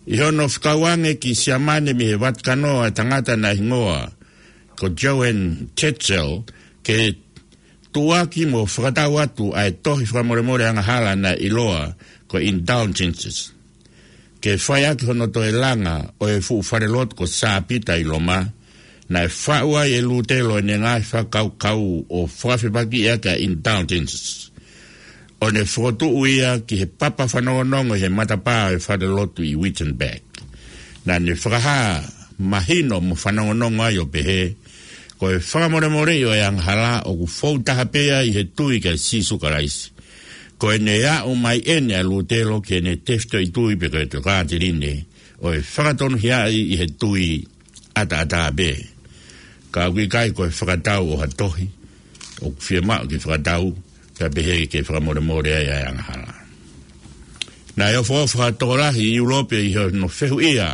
ʻI hono fekauʻaki ange ki Siamane mei he Vatikano ʻa e tangata naʻe hingoa ko Johann Tetzel, ke tuʻuaki mo fakatau atu ʻa e tohi fakamolemole angahala naʻe ʻiloa ko e Indulgences. Ke fai ʻaki hono toe langa ʻo e fuʻu falelotu ko Sā Pita ʻi Loma, naʻe faʻu ai ʻe Lūtelo ʻene ngaahi fakakaukau ʻo fakafepakiʻi ʻaki ʻa e Indulgences, ʻo ne fokotuʻu ia ki he papa fanongonongo ʻi he matapā ʻo e falelotu ʻi Wittenberg. Naʻa ne fakahā mahino mo fanongonongo ai ʻo pehē, ko e fakamolemoleʻi ʻo e angahala ʻoku fou taha pē ia ʻi he tui kia Sīsū Kalaisi. Ko ʻene aʻu mai ʻeni ʻa Lūtelo ki heʻene tefitoʻi tui pe ko e tokāteline ʻo e fakatonuhiaʻi ʻi he tui ʻataʻatā pē. Ka ʻoku ʻikai ko e fakatau ʻo ha tohi ʻoku fiemaʻu ke fakatau, ka pehē ke fakamolemole ai ʻa e angahala. Naʻe ofo fakatokolahi ʻi ʻIulope ʻi hono fehuʻia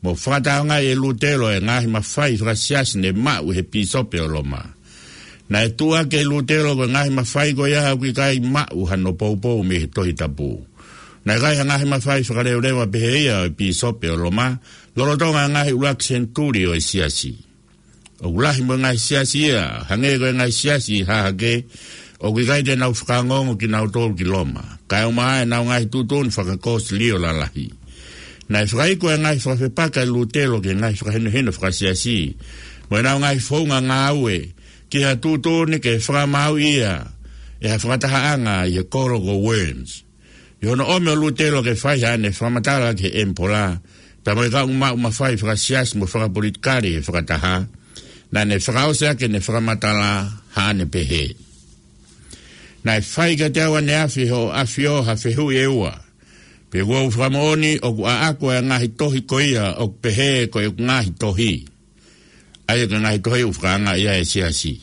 mo fakataongaʻi ʻe Lūtelo e ngaahi mafai fakasiasi ne maʻu he pīsope ʻo Loma. Naʻe tuʻuaki ʻe Lūtelo ko e ngaahi mafai ko ia ʻoku ʻikai maʻu hano poupou mei he Tohi Tapu. Naʻe ʻikai ha ngaahi mafai fakaleveleva pehē ia ʻo e pīsope ʻo Loma lolotonga e ngaahi ʻuluaki senituli ʻo e siasi. ʻOku lahi mo e ngaahi siasi ia, hangē ko e ngaahi siasi ʻi Hahake, ʻoku ʻikai te nau fakaongoongo kinautolu ki Loma, kae ʻumaʻā ʻenau ngaahi tuʻutuʻuni fakakōsilio lalahi. Naʻe fakaiku e ngaahi fakafepaki ʻa Lūtelo ki he ngaahi fakahinohino fakasiasi mo ʻenau ngaahi founga ngāue ki ha tuʻutuʻuni ke fakamaauʻi ia ʻe ha fakatahaʻanga ʻi he kolo ko Worms. ʻI hono ʻomi ʻo Lūtelo ke fai haʻane fakamatala ki he ʻemipola pea mo e kau maʻu mafai fakasiasi mo fakapolitikale he fakataha, naʻa ne fakaʻosi ʻaki ʻene fakamatala haʻane pehē: Naʻe fai kiate au ʻaneafi ʻe Hoʻo ʻAfio ha fehuʻi ʻe ua, pea ʻoku ou fakamoʻoni ʻoku ʻaʻaku ʻa e ngaahi tohi ko ia ʻoku pehē ko ʻeku ngaahi tohi, ʻa ia ko e ngaahi tohi ʻoku fakaangaʻi ʻe he siasi.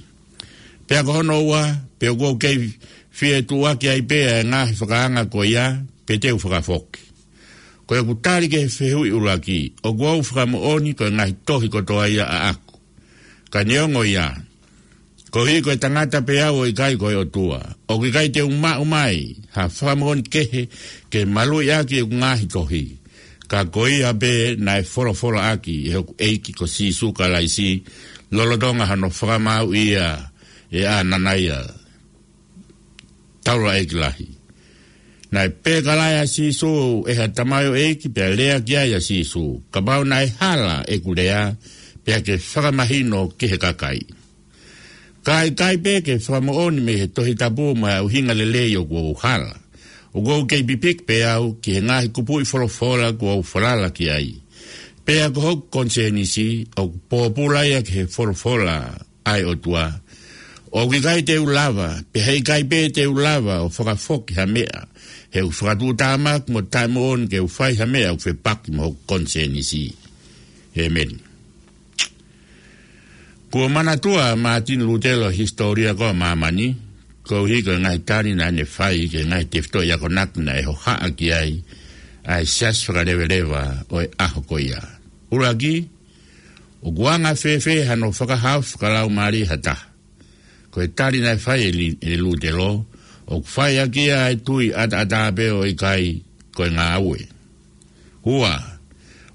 Pea ko hono ua, pe ʻoku ou kei fie tuʻuaki ai pē ʻa e ngaahi fakaanga ko ia, pe te u fakafoki. Ko ʻeku tali ki he fehuʻi ʻuluaki, ʻoku ou fakamoʻoni ko e ngaahi tohi kotoa ia ʻaʻaku. Ka neongo ia, koeʻuhi ko e tangata pē au ʻo ʻikai ko e ʻOtua, ʻoku ʻikai te u maʻu mai ha fakamoʻoni kehe ke maluʻi ʻaki ʻeku ngaahi tohi. Ka ko ia pē naʻe folofola ʻaki ʻe hoku ʻEiki ko Sīsū Kalaisi lolotonga hono fakamaauʻi ia ʻe ʻAnanaia, taulaʻeiki lahi. Naʻe pēkalaʻi ʻa Sīsū ʻe ha tamaioʻeiki pea lea ki ai ʻa Sīsū, kapau naʻe hala ʻeku lea, pea ke fakamahino ki he kakai. Ka ʻikai pē ke fakamoʻoni mei he Tohi Tapu mo e ʻuhinga lelei ʻoku ou hala. ʻOku ou kei pipiki pē au ki he ngaahi kupuʻi folofola kuo u falala ki ai. Pea ko hoku konisēnisi ʻoku pōpula ia ki he folofola ʻa e ʻOtua. ʻOku ʻikai te u lava, pe heʻikai pē te u lava ʻo fakafoki ha meʻa, he ʻoku fakatuʻutāmaki mo taʻemoʻoni ke u fai ha meʻa ʻoku fepaki mo hoku konisēnisi. ʻĒmeni. Kuo manatua ʻa Mātini Lūtelo he hisitōlia ko ē ʻa māmani, koeʻuhi ko e ngaahi tali naʻa ne fai ki he ngaahi tefitoʻi akonaki naʻe hohaʻa ki ai ʻa e siasi fakaleveleva ʻo e ʻaho ko ia. ʻUluaki, ʻoku anga fēfē hano fakahaofi fakalaumālie ha taha? Ko e tali naʻe fai ʻe Li-, ʻe Lūtelo, ʻoku fai ʻaki ia ʻa e tui ʻataʻatā pē ʻo ʻikai ko e ngāue. Ua,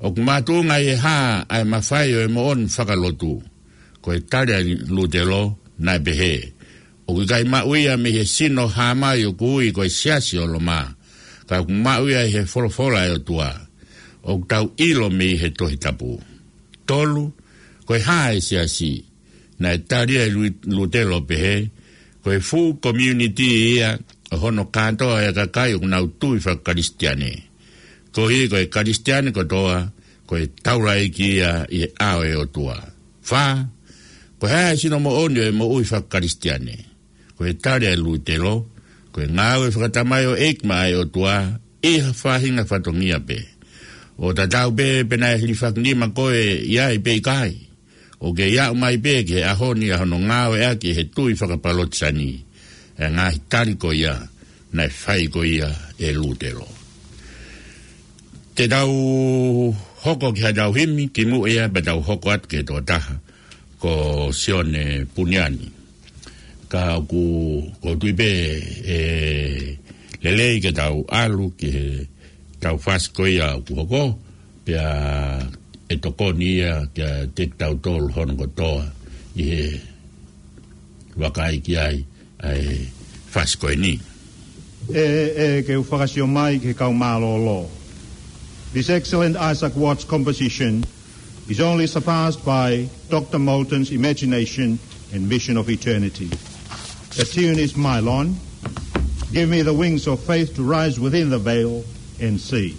ʻoku makatuʻunga ʻi he hā ʻa e mafai ʻo e moʻoni fakalotu? Ko e tali ʻa Lūtelo naʻe pehē, ʻoku ʻikai maʻu ia mei he sino hāmai ʻoku ui ko e Siasi ʻo Loma, ka ʻoku maʻu ia ʻi he folofola ʻa e ʻOtua, ʻoku tau ʻilo mei he Tohi Tapu. Tolu, ko e hā e siasi? Naʻe tali ʻe Lu-, Lūtelo ʻo pehē, ko e fuʻu community ia ʻo hono kātoa ʻa e kakai ʻoku nau tui faka-Kalisitiane. Koeʻuhi ko e Kalisitiane kotoa, ko e taulaʻeiki ia ʻi he ʻao ʻo e ʻOtua. Fā, ko e hā e sino moʻoni ʻo e moʻui faka-Kalisitiane? Ko e tali ʻa Lūtelo, ko e ngāue fakatamaioʻeiki maʻa e ʻOtua ʻi ha faʻahinga fatongia pē. ʻO tatau pē pe naʻe hilifakinima koe ʻi ai pe ʻikai, ʻoku kei aʻu mai pē ki he ʻaho ni ʻa hono ngāueʻaki ʻe he tui fakapalotisani ʻa e ngaahi tali ko ia naʻe fai ko ia ʻe Lūtelo. Te tau hoko ki haʻatau himi kimuʻa ia pea tau hoko atu ki he tokotaha ko Sione Puniani. Ka ʻoku, ʻoku ou tui pē ʻe lelei ke tau ʻalu ki heʻetau fasi ko ia ʻoku hoko, pea ʻe tokoni ia kiate kitautolu hono kotoa ʻi he vakai ki ai ʻa e fasi ko eni. ʻE, ʻe ke u fakasio mai ki he kau mālōlō. This excellent Isaac Watts composition is only surpassed by Doctor Moulton's imagination and vision of eternity. The tune is Milon. Give me the wings of faith to rise within the veil and see.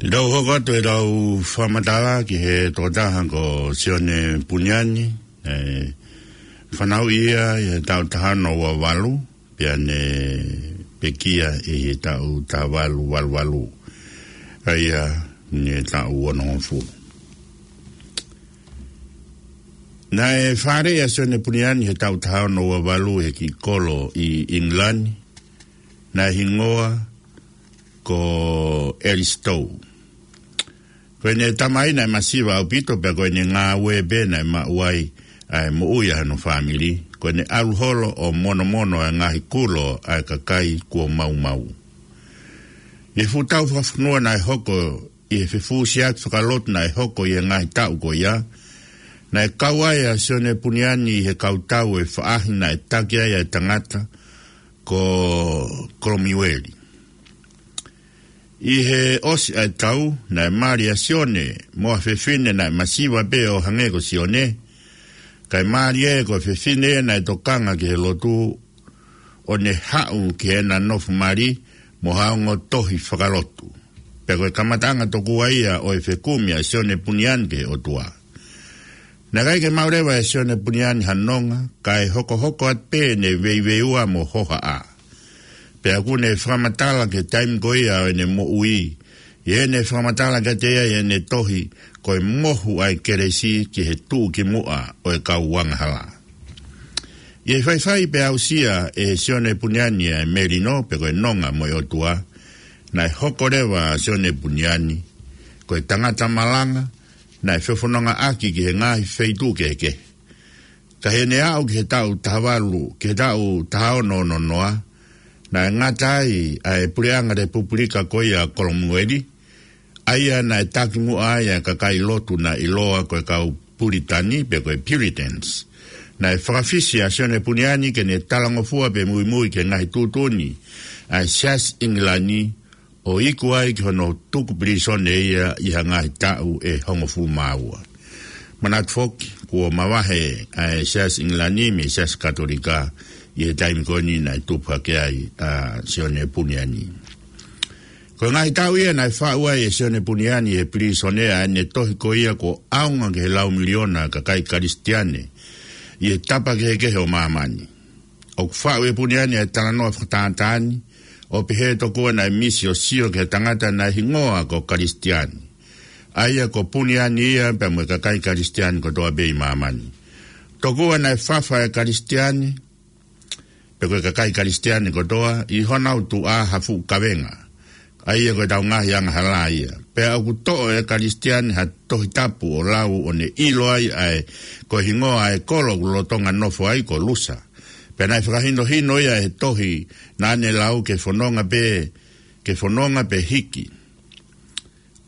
ʻI heʻetau hoko atu ʻetau fakamatala ki he tokotaha ko Sione Puniani, ʻe fanauʻi ia ʻi he taʻu taha ono ua valu, pea ne pekia ʻi he taʻu taha valu valu valu. ʻA ia ne taʻu onongofulu. Naʻe fāʻeleʻi ʻa Sione Puniani he taʻu taha ono ua valu he kiʻi kolo ʻi ʻIngilani, naʻe hingoa ko Elisitou. Ko ʻene tamai naʻe masiva ʻaupito pea ko ʻene ngāue pē naʻe maʻu ai ʻa e moʻui ʻa hono fāmili. Ko ʻene ʻalu holo ʻo monomono ʻa e ngaahi kulo ʻa e kakai kuo maumau. ʻI he fuʻu tau fakafonua naʻe hoko, ʻi he fefusiaki fakalotu naʻe hoko ʻi he ngaahi taʻu ko ia, naʻe kau ai ʻa Sione Puniani ʻi he kautau ʻo e faʻahi naʻe taki ai ʻa e tangata ko Kolomiueli. ʻI he ʻosi ʻa e tau, naʻe mali ʻa Sione mo ha fefine naʻe masiva pē ʻo hangē ko Sione. Kae mālie ko e fefine naʻe tokanga ki he lotu, ʻo ne haʻu ki heʻena nofo mali mo ha ongo tohi fakalotu. Pea ko e kamataʻanga tokua ia ʻo e fekumi ʻa Sione Puniani ki he ʻOtua. Naʻe ʻikai ke maʻu leva ʻe Sione Puniani ha nonga, kae hokohoko atu pē ʻene veiveiua mo hohaʻa. Pea ʻoku ne fakamatala ki he taimi ko ia ʻo ʻene moʻui, ʻi heʻene fakamatala kiate ia ʻi heʻene tohi ko e Mohu ʻa e Kelesi ki he Tuʻukimuʻa ʻo e Kau Angahala. ʻI he faifai pea aʻusia ʻe Sione Puniani ʻa e melino pe ko e nonga mo e ʻOtua, naʻe hoko leva ʻa Sione Puniani ko e tangata malanga, naʻe fefonongaʻaki ki he ngaahi feituʻu kehekehe. Ka heʻene aʻu ki he taʻu taha valu, ki he taʻu taha ono ono noa, naʻe ngata ai ʻa e puleʻanga Lepupulika ko ia ʻa Kolomueli, ʻa ia naʻe taki muʻa ai ʻa e kakai lotu naʻe ʻiloa ko e kau Pulitani pe ko e Puritans. Naʻe fakafisi ʻa Sione Puniani ke ne talangofua pe muimui ki he ngaahi tuʻutuʻuni ʻa e Siasi ʻIngilani, ʻo iku ai ki hono tuku pilīsone ia ʻi ha ngaahi taʻu ʻe hongofulu mā ua. Manatu foki, kuo mavahe ʻa e Siasi ʻIngilani mei he Siasi Katolika ʻi he taimi ko eni naʻe tupu hake ai ʻa Sione Puniani. Ko e ngaahi taʻu ia naʻe faʻu ai ʻe Sione Puniani he pilīsone ʻa ʻene tohi ko ia kuo ʻaonga ki he lau miliona kakai Kalisitiane ʻi he tapa kehekehe ʻo māmani. ʻOku faʻu ʻe Puniani ʻa e talanoa fakatātā ni, ʻo pehē tokua naʻe misi ʻo sio ki he tangata naʻe hingoa ko Kalisitiane. ʻA ia ko Puniani ia pea mo e kakai Kalisitiane kotoa pē ʻi māmani. Tokua naʻe fafa ʻa e Kalisitiane, pe ko e kakai Kalisitiane kotoa, ʻi honau tuʻa ha fuʻu kavenga. ʻA ia ko ʻetau ngaahi angahala ia. Pea ʻoku toʻo ʻe Kalisitiane ha tohi tapu ʻo lau ʻo ne ʻilo ai ʻa e, ko e hingoa ʻa e kolo ʻoku lolotonga nofo ai ko Lusa. Pea naʻe fakahinohino ia he tohi naʻa ne lau ke fononga pē, ke fononga pē hiki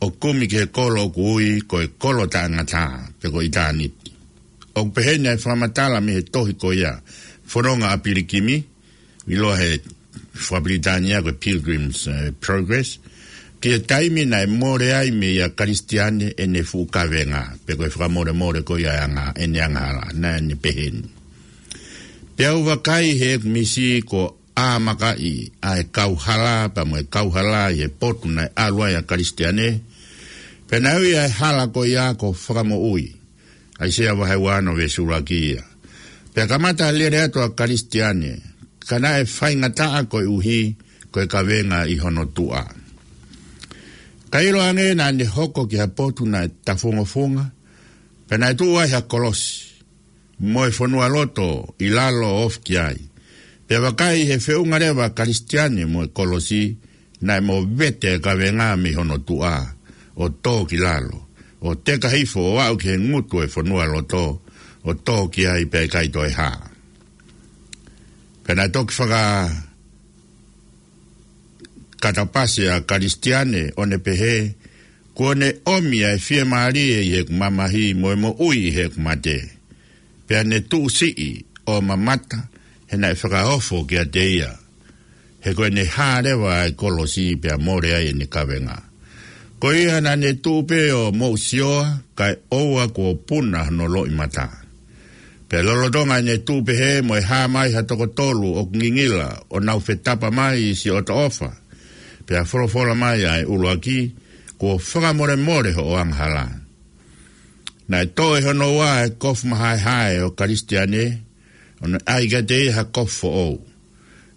ʻo kumi ki he kolo ʻoku ui ko e kolo taʻengata, pe ko ʻitāniti. ʻOku pehē ni ʻa e fakamatala mei he tohi ko ia, Fononga ʻa Pilikimi, ʻiloa he fakapilitānia ko e Pilgrim's, eh, Progress, ki he taimi naʻe mole ai meia Kalisitiane ʻene fuʻu kavenga, pe ko e fakamolemole ko ia ʻa e anga, ʻene angahala, naʻa ne pehē ni. Pea u vakai heʻeku misi ko ʻāmakaʻi ʻa e kauhala, pea mo e kauhala ʻi he potu naʻe ʻalu ai ʻa Kalisitiane. Pea naʻe ui ʻa e hala ko ia ko Fakamoʻui. ʻAisea vahe ua ono veesi ʻuluaki ia. Pea kamata lele atu ʻa Kalisitiane, ka naʻe faingataʻa koeʻuhi ko e kavenga ʻi hono tuʻa. Ka ʻiloange naʻa ne hoko ki ha potu naʻe tafungofunga, pea naʻe tuʻu ai ha kolosi mo e fonualoto ʻi lalo ʻo ofi ki ai. Pea vakai he feʻunga leva ʻa Kalisitiane mo e kolosi, naʻe movete e kavenga mei hono tuʻa, ʻo tō ki lalo, ʻo teka hifo ʻo aʻu ki he ngutu e fonualoto, ʻo tō ki ai pea ʻikai toe hā. Pea naʻe toki fakakatapasi ʻa Kalisitiane ʻo ne pehē, kuo ne ʻomi ʻa e fiemālie ʻi heʻeku mamahi mo e moʻui ʻi heʻeku mate. Pea ne tuʻusiʻi ʻo mamata, he naʻe fakaofo kiate ia. He ko ʻene hā leva ʻa e kolosi pea mole ai ʻene kavenga. Ko ia naʻa ne tuʻu pē ʻo moʻusioa, kae ʻoua kuo puna hono loʻimata. Pea lolotonga ʻene tuʻu pehē mo e hā mai ha toko tolu ʻoku ngingila, ʻo nau fetapa mai ʻi siʻoto ʻofa. Pea folofola mai ʻa e ʻuluaki, kuo fakamolemole hoʻo angahala. Naʻe toʻo ʻe hono ua ʻa e kofu mahaehae ʻo Kalisitiane, ʻo ne ʻai kiate ia ha kofu foʻou.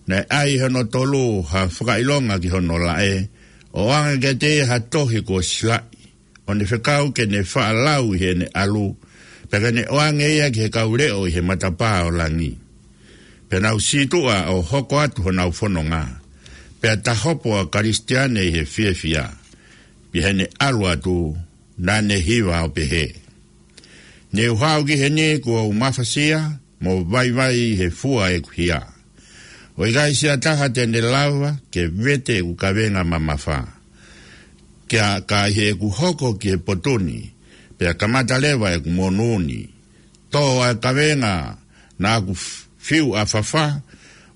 Naʻe ʻai ʻe hono tolu ha fakaʻilonga ki hono laʻe, ʻo ʻoange kiate ia ha tohi kuo silaʻi, ʻo ne fekau ke ne faʻa lau ʻi heʻene ʻalu, pea ke ne ʻoange ia ki he kau leʻo ʻi he matapā ʻo langi. Pea nau sītuʻa ʻo hoko atu honau fononga. Pea tahopo ʻa Kalisitiane ʻi he fiefia. Pea heʻene ʻalu atu, naʻa ne hiva ʻo pehē: Ne u haʻu ki heni kuo u mafasia, mo vaivai he fua ʻeku hia. ʻOku ʻikai siʻa taha te ne lava ke vete ʻeku kavenga mamafa. Ka, ka ʻi heʻeku hoko ki he potu ni, pea kamata leva ʻeku monū ni. Tō ʻa e kavenga naʻa ku f-, fiu ʻafafa,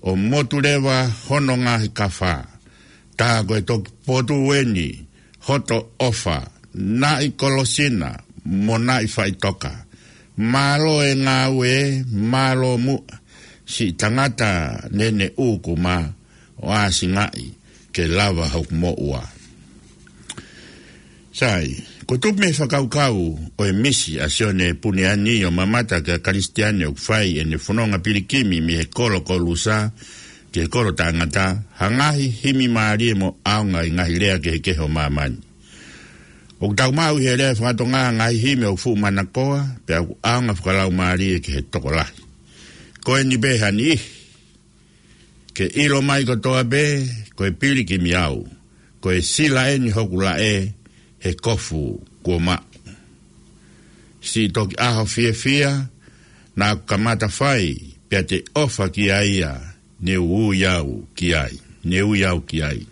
ʻo motu leva hono ngaahi kafa. Tā ko e toki potu eni hoto ʻofa, naʻe kolosi na, mo naʻe faʻitoka. Mālō e ngāue, mālō muʻa, siʻi tangata neneʻu kuma, ʻo ʻāsingaʻi ke lava hoku moʻua. Sai, ko e tupu mei he fakakaukau ʻo e misi ʻa Sione Puniani ʻo mamata ki he Kalisitiane ʻoku fai ʻene fononga pilikimi mei he kolo Kolusa ki he kolo taʻengata, ha ngaahi himi mālie mo ʻaonga ʻi he ngaahi lea kehekehe ʻo māmani. ʻOku tau maʻu ʻi he lea faka-Tonga ngaahi himi ʻoku fuʻu manakoa, pea ʻoku ʻaonga fakalaumālie ki he tokolahi. Ko eni pē ha niʻihi: Ke ʻilo mai kotoa pē, ko e pilikimi au, ko e sila eni hoku laʻe, he kofu kuo maʻu. Siʻi toki ʻaho fiefia naʻa ku kamata fai, pea te u ʻofa kiate ia, ne u ui au ki ai, ne u ui au ki ai.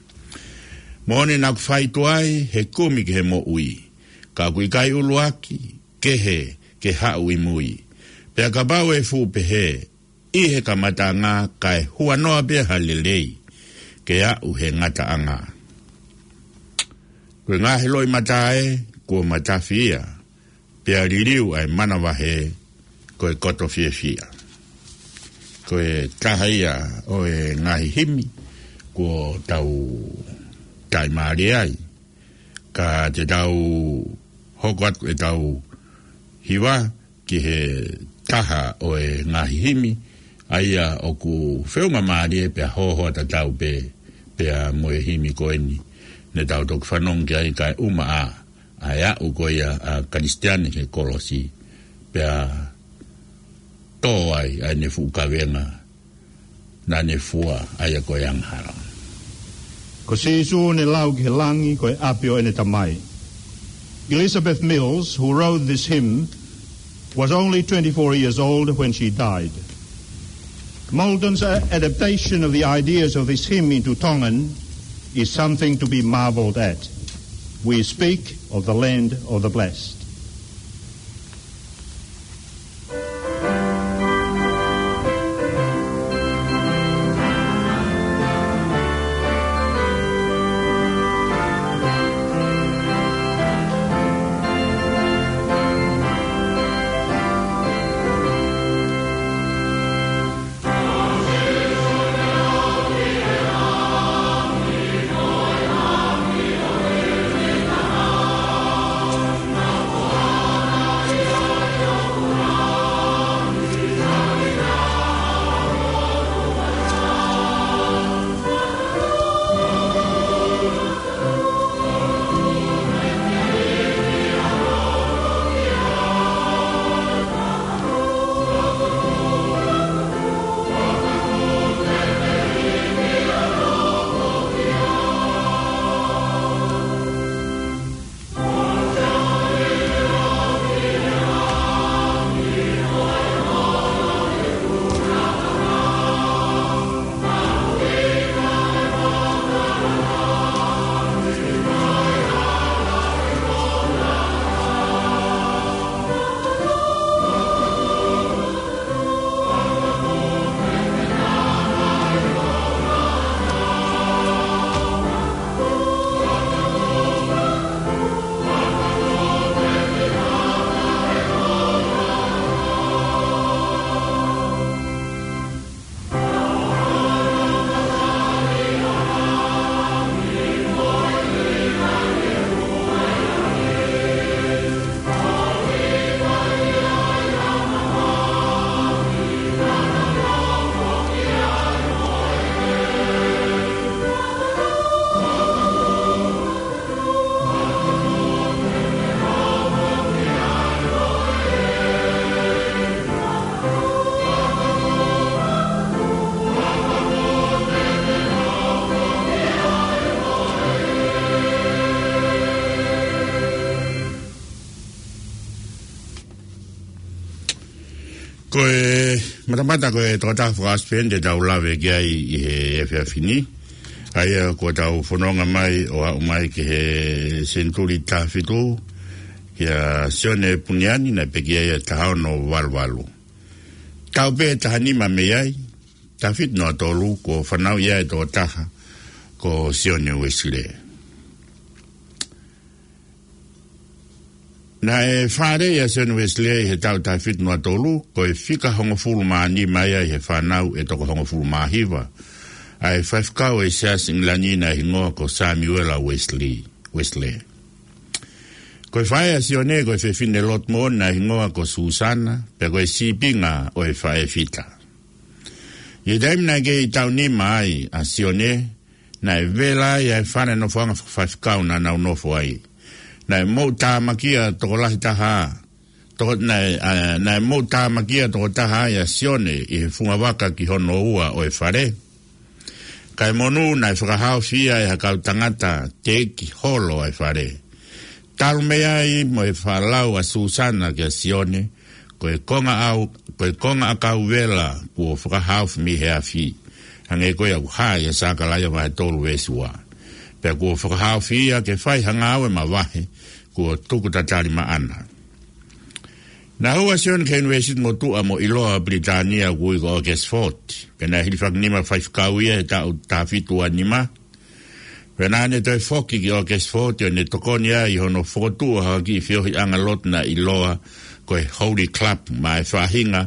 Moʻoni naʻa ku fai tuai he kumi ki he moʻui, ka ʻoku ʻikai ʻuluaki, kehe ke haʻu ʻi mui. Pea kapau ʻe fuʻu pehē, ʻi he kamataʻanga, kae huanoa pē ha lelei ke aʻu he ngataʻanga. Ko e ngaahi loʻimata ē, kuo matafi ia, pea liliu ʻa e manavahē, ko e koto fiefia. Ko e taha ia ʻo e ngaahi himi kuo tau taʻimālie ai. Ka te tau hoko atu ʻetau hiva ki he taha ʻo e ngaahi himi, ʻa ia ʻoku feʻunga mālie pea hoahoa tatau pē, pea mo e himi ko eni ne tau toki fanongo ki ai, kae ʻuma ā ʻa e aʻu ko ia ʻa Kalisitiane ki he kolosi, pea tō ai ʻa ʻene fuʻu kavenga naʻa ne fua, ʻa ia ko e angahala. Ko Sīsū ne lau ki he langi ko e ʻapi ʻo ʻene Tamai. Elizabeth Mills, who wrote this hymn, was only twenty-four years old when she died. Maldon's, uh, adaptation of the ideas of this hymn into Tongan is something to be marveled at. We speak of the land of the blessed. Ko e matamata ko e tokotaha fakaʻosipeni te tau lave ki ai ʻi he efiafi ni. ʻA ia ko ʻetau fononga mai ʻo aʻu mai ki he senituli taha fitu, kia Sione Puniani naʻe pekia ia taha ono valu valu. Taʻu pē taha nima mei ai, taha fitu noa tolu, kuo fanauʻi ai e tokotaha ko Sione Uesilē. Naʻe fāʻeleʻi ʻa Sione Uesilē ʻi he taʻu taha fitu noa tolu, ko e fika hongofulu mā nima ia ʻi he fānau ʻe toko hongofulu mā hiva ʻa e faifekau ʻo e Siasi ʻIngilani naʻe hingoa ko Samiuela Uesilē, Uesilē. Ko e faʻē ʻa Sione ko e fefine lotu moʻoni naʻe hingoa ko Susana, pea ko e sīpinga ʻo e faʻē fita. ʻI he taimi naʻe kei taʻu nima ai ʻa Sione, naʻe vela ai ʻa e fale nofoʻanga fakafaifekau naʻa nau nofo ai. Naʻe moʻutāmakia tokolahi taha, toko, naʻe, ʻa, naʻe moʻutāmakia tokotaha ai ʻa Sione ʻi he fungavaka ki hono ua ʻo e fale. Kae monū naʻe fakahaofi ia ʻe ha kau tangata teʻeki holo ʻa e fale. Talu mei ai mo e fakalau ʻa Susana kia Sione, ko e konga ʻau, ko e konga ʻakau vela kuo fakahaofi mei he afi, hangē ko ia ʻoku hā ʻia Sakalaia vahe tolu veesi ua. Pea kuo fakahaofi ia ke fai ha ngāue mavahe, kuo tuku tatali maʻana. Naʻe hū ʻa Sione ki he ʻunivēsiti motuʻa mo ʻiloa ʻo Pilitānia ʻoku ui ko Oxford. Pea naʻe hilifakinima faifekau ia he taʻu taha fitu ua nima. Pea naʻa ne toe foki ki Oxford ʻo ne tokoni ai ʻi hono fokotuʻu ʻo ha kiʻi feohiʻanga lotu naʻe ʻiloa ko e Holy Club, maʻa e faʻahinga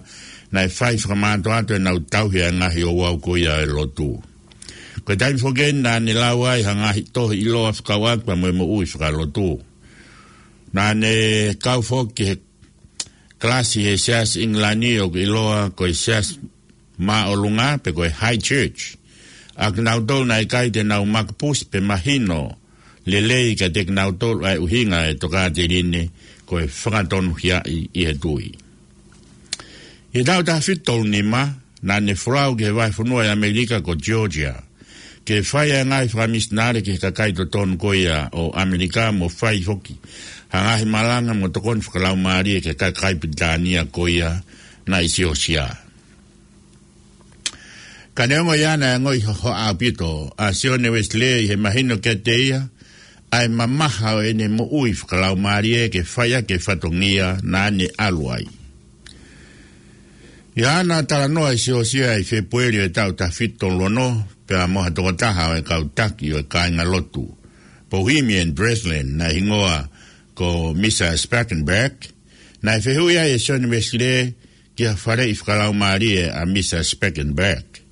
naʻe fai fakamātoato ʻenau tauhi ʻa e ngaahi ouau ko ia ʻo e lotu. Ko e taimi foki eni naʻa ne lau ai ha ngaahi tohi ʻiloa fekauʻaki pea mo e moʻui fakalotu. Naʻa ne kau foki he kalasi he Siasi ʻIngilani ʻoku ʻiloa ko e Siasi Māʻolunga pe ko e High Church. ʻA kinautolu naʻe ʻikai te nau makapusi pe mahino lelei kiate kinautolu ʻa e ʻuhinga ʻo e tokāteline ko e fakatonuhiaʻi ʻi he tui. ʻI he taʻu taha fitu tolu nima, naʻa ne folau ki he vahefonua ʻi ʻAmelika ko Georgia, ke fai ʻa e ngaahi fakamisinale ki he kakai totonu ko ia ʻo ʻAmelika mo fai foki ha ngaahi malanga mo tokoni fakalaumālie ki he kakai Pilitānia ko ia naʻe siosio. Ka neongo ia naʻe ongoʻi hohaʻa ʻaupito ʻa Sione Uesilē ʻi he mahino kiate ia ʻa e mamaha ʻo ʻene moʻui fakalaumālie ke fai ʻaki e fatongia naʻa ne ʻalu ai. ʻI haʻana talanoa ʻi Siosio ʻi Fēpueli ʻo e taʻu taha fitu tolu ono, pea mo ha tokotaha ʻo e kau taki ʻo e kāingalotu Bohemian Brethren naʻe hingoa ko Misa Spangenberg, naʻe fehuʻi ai ʻe Sione Uesilē ki ha faleʻi fakalaumālie ʻa Misa Spangenberg.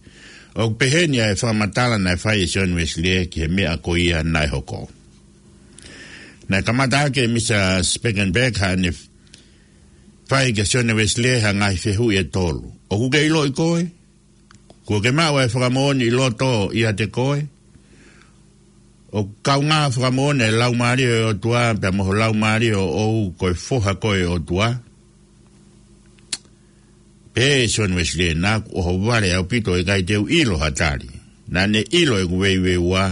ʻOku peheni ʻa e fakamatala naʻe fai ʻe Sione Uesilē ki he meʻa ko ia naʻe hoko. Naʻe kamata ʻaki ʻe Misa Spangenberg haʻane fai kia Sione Uesilē ha ngaahi fehuʻi ʻe tolu. ʻOku ke ʻiloʻi koe? Kuo ke maʻu ʻa e fakamoʻoni ʻi loto ʻiate koe? ʻOku kaungā fakamoʻoni ʻa e Laumālie ʻo e ʻOtua pea mo ho laumālie ʻoʻou ko e foha koe ʻo e ʻOtua? Pehē ʻe Sione Uesilē, naʻa ku ʻohovale ʻaupito ʻo ʻikai te u ʻilo ha tali. Naʻa ne ʻilo ʻeku veiveiua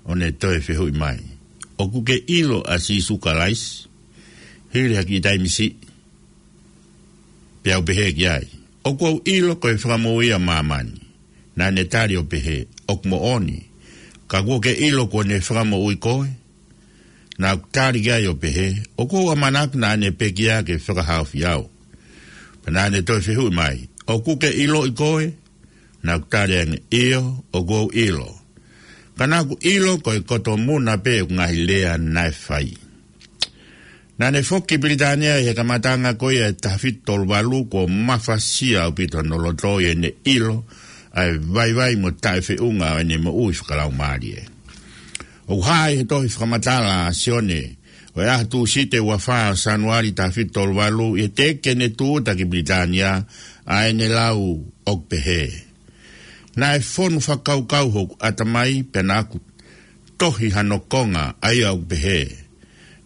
ʻo ne toe fehuʻi mai, ʻOku ke ʻilo ʻa Sīsū Kalaisi? Hili ha kiʻi taimi siʻi, peau pehē ki ai, ʻOku ou ʻilo ko e Fakamoʻui ʻa māmani. Naʻa ne tali ʻo pehē, ʻOku moʻoni, ka kuo ke ʻilo kuo ne fakamoʻui koe? Naʻa ku tali ki ai ʻo pehē, ʻOku ou ʻamanaki naʻa ne pekia ke fakahaofi au. Pea naʻa ne toe fehuʻi mai, ʻOku ke ʻiloʻi koe? Naʻa ku tali ange, ʻIo, ʻoku ou ʻilo. Ka naʻa ku ʻilo ko e koto muna pē ʻeku ngaahi lea naʻe fai. Naʻa ne foki ki Pilitānia ʻi he kamataʻanga ko ia ʻo e taha fitu tolu valu, kuo mafasia ʻaupito hono loto ʻi heʻene ʻilo ʻa e vaivai mo taʻefeʻunga ʻo ʻene moʻui fakalaumālie. ʻOku hā ʻi he tohi fakamatala ʻa Sione ʻo e ʻaho Tūsite ua fā ʻo Sānuali taha fitu tolu valu, ʻi he teʻeki ke ne tūʻuta ki Pilitānia ʻa ʻene lau ʻoku pehē, Naʻe fonu fakakaukau hoku ʻatamai pea naʻa ku tohi hano konga, ʻa ia ʻoku pehē,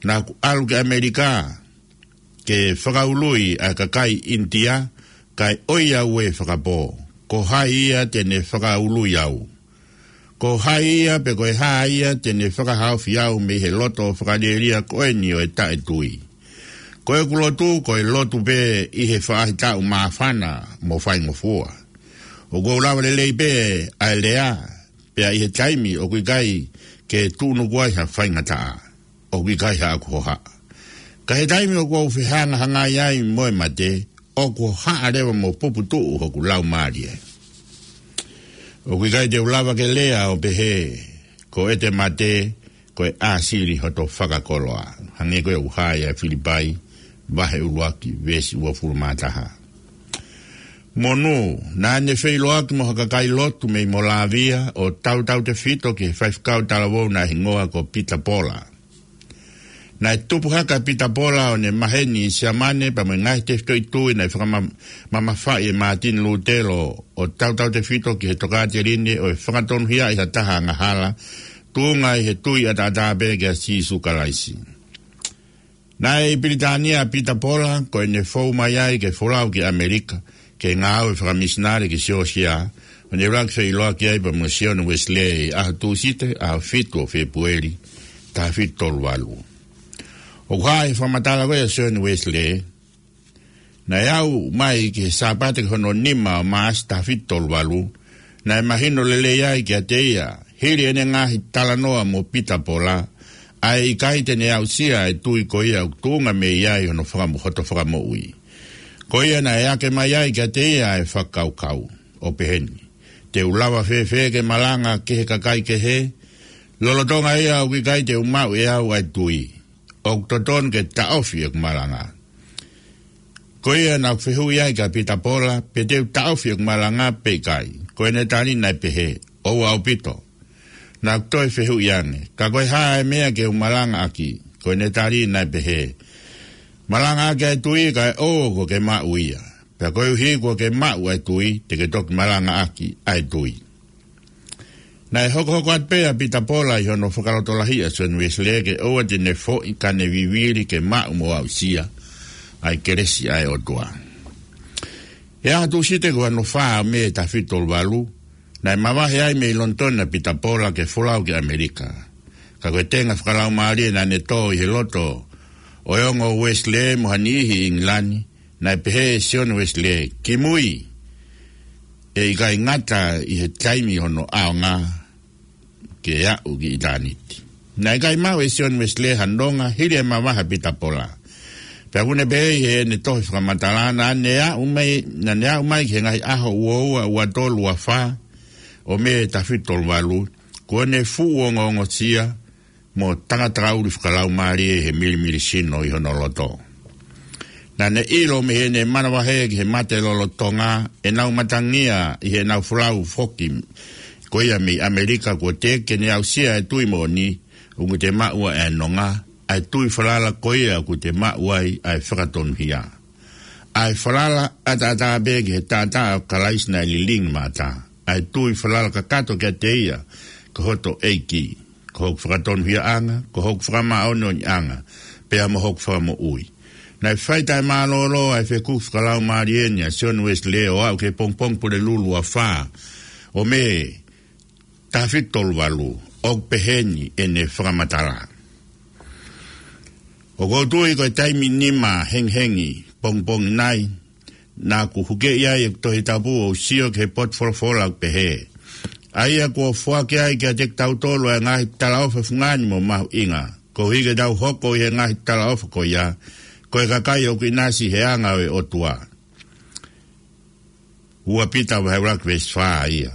Naʻa ku ʻalu ki ʻAmelika ke fakaului ʻa e kakai ʻInitia, kae ʻoiauē fakapō. Ko hai ia te ne fakaului au? Ko hai ia pe ko e hā ia te ne fakahaofi au mei he loto fakalielia ko eni ʻo e taʻetui? Ko ʻeku lotu, ko e lotu pē ʻi he faʻahitaʻu māfana mo faingofua. ʻOku ou lava lelei pē ʻa e lea, pea ʻi he taimi ʻoku ʻikai ke tuʻunuku ai ha faingataʻa, ʻoku ʻikai haʻaku hohaʻa. Ka he taimi ʻoku ou fehangahangai ai mo e mate, ʻoku hohaʻa leva mo puputuʻu hoku laumālie. ʻOku ʻikai te u lava ke lea ʻo pehē, ko ʻete mate, ko e ʻāsili hoto fakakoloa. Hangē ko e ʻoku hā ʻia Filipai, vahe ʻuluaki, veesi uofulu mā taha. Monū, naʻa ne feʻiloaki mo ha kakai lotu mei Molāvia ʻo tautautefito ki he faifekau talavou naʻe hingoa ko Pita Pola. Naʻe tupu hake ʻa Pita Pola ʻo ne maheni ʻi Siamane pea mo e ngaahi tefitoʻi tui naʻe fakamamafaʻi ʻe Mātini Lūtelo ʻo tautautefito ki he tokāteline ʻo e fakatonuhiaʻi ha taha angahala, tuʻunga ʻi he tui ʻataʻatā pē kia Sīsū Kalaisi. Naʻe ʻi Pilitānia ʻa Pita Pola, ko ʻene fou mai ai ke folau ki ʻAmelika, ke ngāue fakamisinale ki Siosiā, ʻo ne ʻuluaki feʻiloaki ai pea mo Sione Uesilē ʻi he ʻaho Tūsite, ʻaho fitu ʻo Fēpueli, taha fitu tolu valu. ʻOku hā ʻi he fakamatala ko ia ʻa Sione Uesilē, naʻe aʻu mai ki he Sāpate ko hono nima ʻo Maʻasi taha fitu tolu valu, naʻe mahino lelei ai kiate ia, hili ʻene ngaahi talanoa mo Pita Pola, ʻa e ʻikai te ne aʻusia ʻa e tui ko ia ʻoku tuʻunga mei ai hono fakamo-, hoto fakamoʻui. Ko ia naʻe ake mai ai kiate ia ʻa e fakakaukau, ʻo peheni: Te u lava fēfē ke malanga ki he kakai kehe, lolotonga ia ʻoku ʻikai te u maʻu ʻe au ʻa e tui? ʻOku totonu ke taʻofi ʻeku malanga. Ko ia naʻa ku fehuʻi ai kia Pita Pola, pe te u taʻofi ʻeku malanga pe ʻikai. Ko ʻene tali naʻe pehē, ʻoua ʻaupito. Naʻa ku toe fehuʻi ange, ka ko e hā ʻa e meʻa ke u malangaʻaki? Ko ʻene tali naʻe pehē, malangaʻaki ʻa e tui kae ʻoua kuo ke maʻu ia. Pea koeʻuhi kuo ke maʻu ʻa e tui, te ke toki malangaʻaki ʻa e tui. Naʻe hokohoko atu pē ʻa Pita Pola ʻi hono fakalotolahiʻi ʻa Sione Uesilē ke ʻoua te ne foʻi ka ne vivili ke maʻu mo aʻusia ʻa e kelesi ʻa e ʻOtua. ʻI he ʻaho Tūsite ko hono fā ʻo Mē taha fitu tolu valu, naʻe mavahe ai mei Lonitoni ʻa Pita Pola ke folau ki ʻAmelika. Ka ko e tenga fakalaumālie naʻa ne tō ʻi he loto ʻo e ongo Uesilē mo ha niʻihi ʻi ʻIngilani, naʻe pehē ʻe Sione Uesilē, kimui, ʻe ʻikai ngata ʻi he taimi hono ʻaonga ke aʻu ki ʻitāniti. Naʻe ʻikai maʻu ʻe Sione Uesilē ha nonga hili e mavahe ʻa Pita Pola. Pea ʻoku ne pehē ʻi heʻene tohi fakamatala, naʻa ne aʻu mai, naʻa ne aʻu mai ki he ngaahi ʻaho ua ua, ua tolu, ua fā ʻo Mē taha fitu tolu valu, kuo ne fuʻu ongoongosia mo tangata ʻuli fakalaumālie he milimili sino ʻi hono loto. Naʻa ne ʻilo mei heʻene manavahē ki he mate lolotonga ʻenau matangi ʻi heʻenau folau foki ko ia mei ʻAmelika, kuo teʻeki ke ne aʻusia ʻa e tui moʻoni, ʻoku te maʻu ai ʻa e nonga, ʻa e tui falala ko ia ʻoku te maʻu ai ʻa e fakatonuhia. ʻA e falala ʻataʻatā pē ki he taʻataʻa ʻo Kalaisi naʻe lilingi maʻata. ʻA e tui falala kakato kiate ia ko hoto ʻEiki, ko hoku fakatonuhiaʻanga, ko hoku fakamāʻoniʻoniʻanga, pea mo hoku fakamoʻui. Naʻe fai taʻemālōlō ʻa e fekuki fakalaumālie ni ʻa Sione Uesilē ʻo aʻu ki he pongipongi Pulelulu ua fā ʻo Mē taha fitu tolu valu, ʻoku peheni ʻene fakamatala: ʻOku ou tui ko e taimi nima hengihengi pongipongi nai, naʻa ku hukeʻi ai ʻeku Tohi Tapu ʻo u sio ki he potu folofola ʻoku pehē: ʻA ia kuo foaki ai kiate kitautolu ʻa e ngaahi talaʻofa fungani mo mahuʻinga, koeʻuhi ke tau hoko ʻi he ngaahi talaʻofa ko ia, ko e kakai ʻoku ʻinasi he anga ʻo e ʻOtua. Ua Pita vahe ʻuluaki veesi fā ia.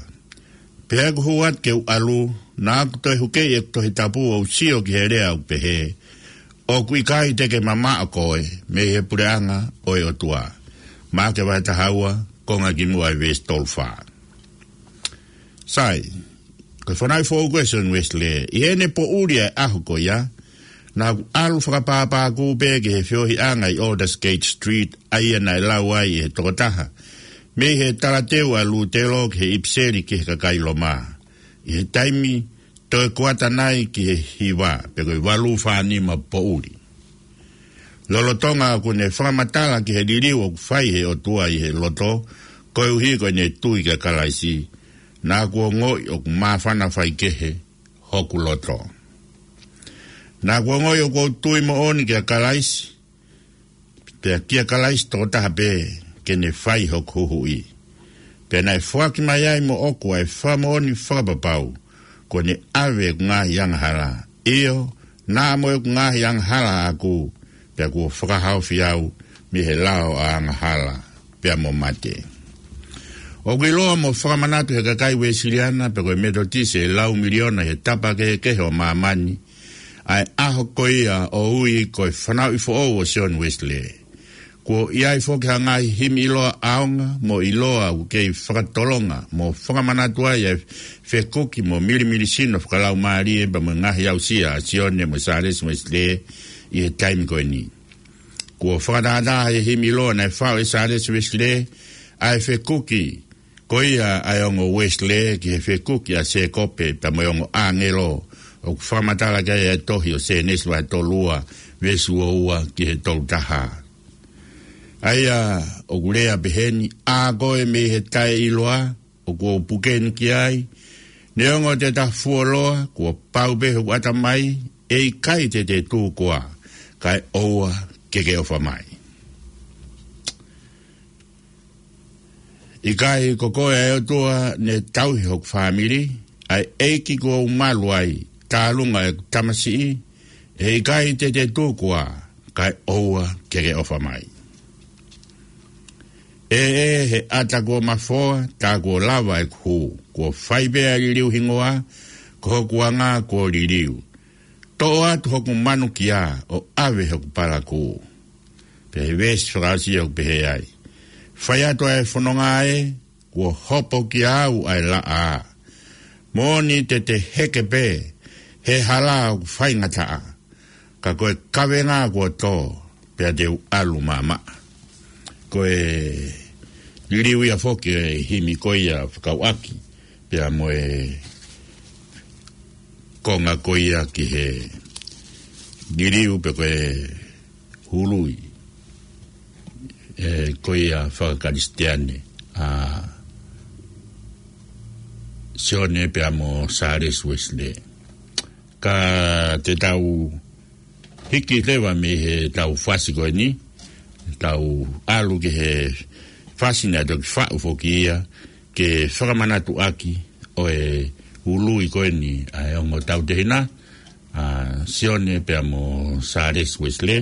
Pea ʻi heʻeku hū atu ke u ʻalu, naʻa ku toe hukeʻi ʻeku Tohi Tapu ʻo u sio ki he lea ʻoku pehē: ʻOku ʻikai te ke mamaʻo koe mei he puleʻanga ʻo e ʻOtua. Maʻake vahe taha ua, konga kimuʻa ʻi he veesi tolu fā. Sai, ko e fanauʻi foʻou ko ē ʻa Sione Uesilē. ʻI heʻene poʻuli ʻa e ʻaho ko ia, naʻa ku ʻalu fakapāpākū pē ki he feohiʻanga ʻi Aldersgate Street, ʻa ia naʻe lau ai ʻe he tokotaha mei he talateu ʻa Lūtelo ki he ʻipiseli ki he kakai Loma, ʻi he taimi toe kuata nai ki he hiva, pe ko e valu fā nima poʻuli. Lolotonga ʻoku ne fakamatala ki he liliu ʻoku fai ʻe he ʻOtua ʻi he loto, koeʻuhi ko ʻene tui kia Kalaisi, naʻa ku ongoʻi ʻoku māfana faikehe hoku loto. Naʻa ku ongoʻi ʻoku ou tui moʻoni kia Kalaisi, pea kia Kalaisi tokotaha pē, ke ne fai hoku huhuʻi. Pea naʻe foaki mai ai moʻoku ʻa e fakamoʻoni fakapapau, kuo ne ʻave ʻeku ngaahi angahala. ʻIo, naʻa mo ʻeku ngaahi angahala ʻaʻaku, pea kuo fakahaofi au mei he lao ʻa angahala pea mo mate. ʻOku ʻiloa mo fakamanatu he kakai Uēsiliana pea ko e Metotisi ʻe lau miliona he tapa kehekehe ʻo māmani ʻa e ʻaho ko ia ʻo ui ko e fanauʻi foʻou ʻo Sione Uēsilē. Kuo ʻi ai foki ha ngaahi himi ʻiloa ʻaonga mo ʻiloa ʻoku kei fakatolonga mo fakamanatu ai ʻa e fekuki mo milimilisino fakalaumālie pea mo e ngaahi aʻusia ʻa Sione mo Sālesi Uēsilē ʻi he taimi ko eni. Kuo fakatātā he himi ʻiloa naʻe faʻu ʻe Sālesi Uēsilē ʻa e fekuki ko ia ʻa e ongo Uēsilē ki he fekuki ʻa Sēkope pea mo e ongo ʻāngelo, ʻoku fakamatala ki ai ʻa e tohi ʻo Sēnesi vahe tolu ua, veesi ua ua ki he tolu taha. ʻA ia ʻoku lea peheni: ʻĀ koe mei he taʻeʻiloa, ʻoku ou puke ni ki ai, neongo te ta fuoloa, kuo pau pē hoku ʻatamai, ʻe ʻikai te te tū koā, kae ʻoua ke ke ʻofa mai. ʻIkai ko koe ʻa e ʻOtua ne tauhi hoku fāmili, ʻa e ʻEiki kuo u malu ai, tālunga ʻeku tamasiʻi, ʻe ʻikai te te tū koā, kae ʻoua ke ke ʻofa mai. ʻE, ʻe, he ʻata kuo mafoa, tā kuo lava ʻeku hū, kuo fai pē ʻa e liliu hingoa, ko hoku anga kuo liliu. Toʻo atu hoku manukia, ʻo ʻave hoku palakū. Pea he veesi fakaʻosi ʻoku pehē ai: Fai atu ʻa e fononga ē, kuo hopo kiate au ʻa e laʻā. Moʻoni te te heke pē he hala ʻoku faingataʻa, ka ko e kavenga kuo tō, pea te u ʻalu maʻamaʻa. Ko e liliu ia foki ʻo e himi ko ia fekauʻaki pea mo e konga ko ia ki he liliu pe ko e ului, ē, ko ia fakakalisitiane ʻa Sione pea mo Sālesi Uēsilē. Ka te tau hiki leva mei heʻetau fasi ko eni, tau ʻalu ki he fasi naʻe toki faʻu foki ia, ke fakamanatu ʻaki ʻo e ului ko eni ʻa e ongo tautehina, ʻa Sione pea mo Sālesi Uēsilē,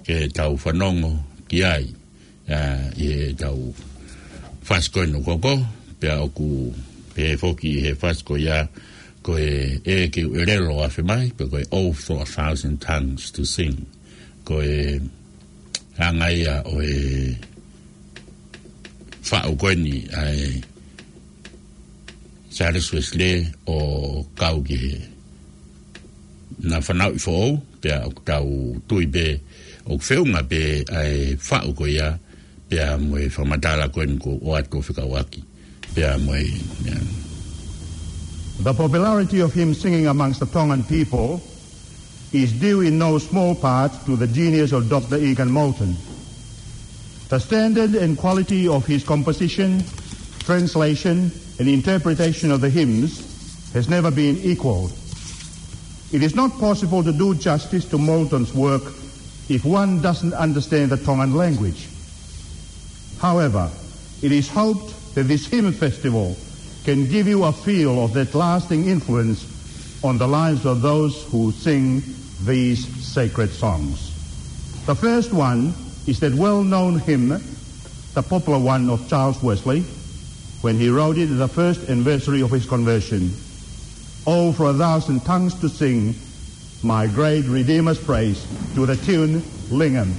ke tau fanongo ki ai, ʻa, ʻi heʻetau fasi ko eni ʻoku hoko, pea ʻoku pehē foki ʻi he fasi ko ia, ko e ʻEiki ʻelelo ʻoku afe mai, pe ko e Oh, for a thousand tongues to sing. Ko e anga ia ʻo e faʻu ko eni ʻa e Sālesi Uēsilē ʻo kau ki he na fanauʻi foʻou, pea ʻoku tau tui pē ʻoku feʻunga pē ʻa e faʻu ko ia, pea mo e fakamatala ko eni kuo ʻoatu ʻo fekauʻaki pea mo e, ʻa. The popularity of hymn singing amongst the Tongan people is due in no small part to the genius of Doctor Egan Moulton. The standard and quality of his composition, translation, and interpretation of the hymns has never been equaled. It is not possible to do justice to Moulton's work if one doesn't understand the Tongan language. However, it is hoped that this hymn festival can give you a feel of that lasting influence on the lives of those who sing these sacred songs. The first one is that well-known hymn, the popular one of Charles Wesley, when he wrote it at the first anniversary of his conversion: Oh, for a thousand tongues to sing, my great Redeemer's praise, to the tune Lingam.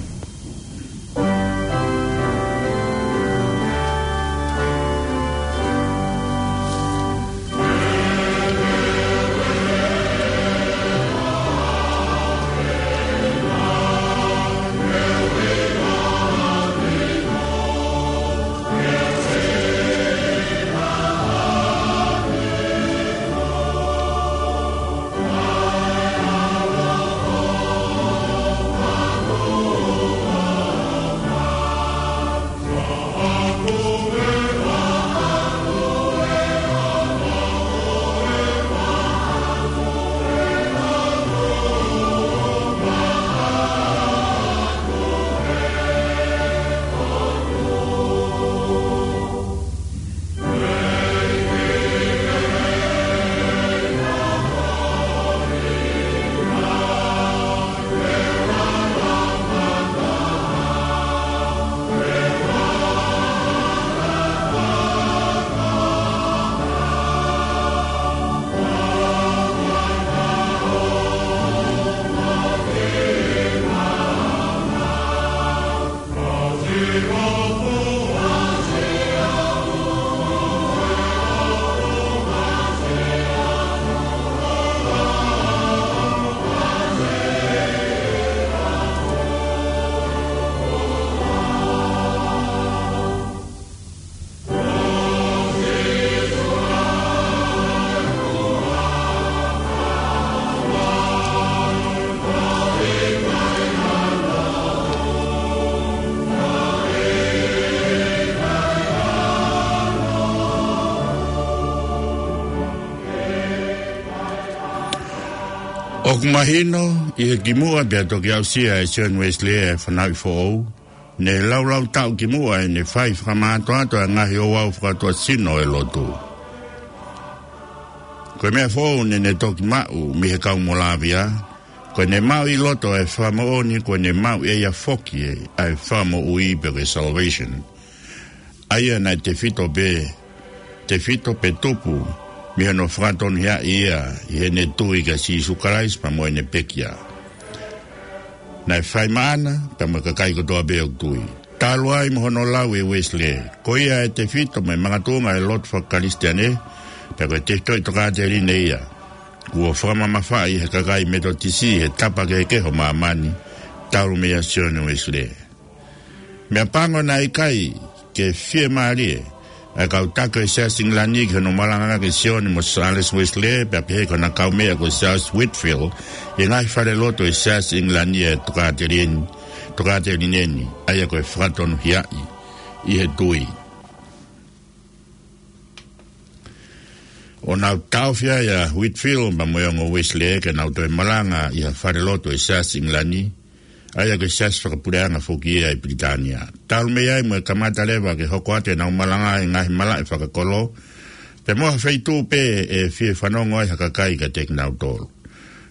ʻOku mahino, ʻi he kimuʻa pea toki aʻusia ʻe Sione Uesilē ʻa e fanauʻi foʻou, ne laulau taʻu kimuʻa ʻene fai fakamātoato ʻa e ngaahi ouau fakatuʻasino ʻo e lotu. Ko e meʻa foʻou naʻa ne toki maʻu mei he kau Molavia, ko ʻene maʻu ʻi loto ʻa e fakamoʻoni, ko ʻene maʻu ʻe ia foki ʻa e fakamoʻui pe ko e salvation. ʻA ia naʻe tefito pē, tefito pē tupu mei hono fakatonuhiaʻi ia ʻi heʻene tui kia Sīsū Kalaisi pea mo ʻene pekia. Naʻe fai maʻana pea mo e kakai kotoa pē ʻoku tui. Talu ai mo hono lau ʻe Uesilē, ko ia ʻe tefito mei he makatuʻunga ʻo e lotu faka-Kalisitiane, pea ko e tefitoʻi tokāteline ia kuo fakamamafaʻi ʻe he kakai Metotisi he tapa kehekehe ʻo māmani, talu meia Sione Uesilē. Meʻapango naʻe ʻikai ke fiemālie ʻa e kau taki ʻo e Siasi ʻIngilani ki hono malangaʻaki ʻe Sione mo Sālesi Uesilē, pea pehē ki hona kaumeʻa ko Siaosi Whitefield, ʻi he ngaahi falelotu ʻo e Siasi ʻIngilani ʻa e tokāteline, tokāteline ni, ʻa ia ko e fakatonuhiaʻi ʻi he tui. ʻO nau taʻofi ai ʻa Whitefield pea mo e ongo Uesilē ke nau toe malanga ʻi ha falelotu ʻo e Siasi ʻIngilani, ʻa ia ko e siasi fakapuleʻanga foki ia ʻi Pilitānia. Talu mei ai mo e kamata leva ke hoko atu ʻenau malanga ʻi he ngaahi malaʻe fakakolo, pea mo ha feituʻu pē ʻe fie fanongo ai ha kakai kiate kinautolu.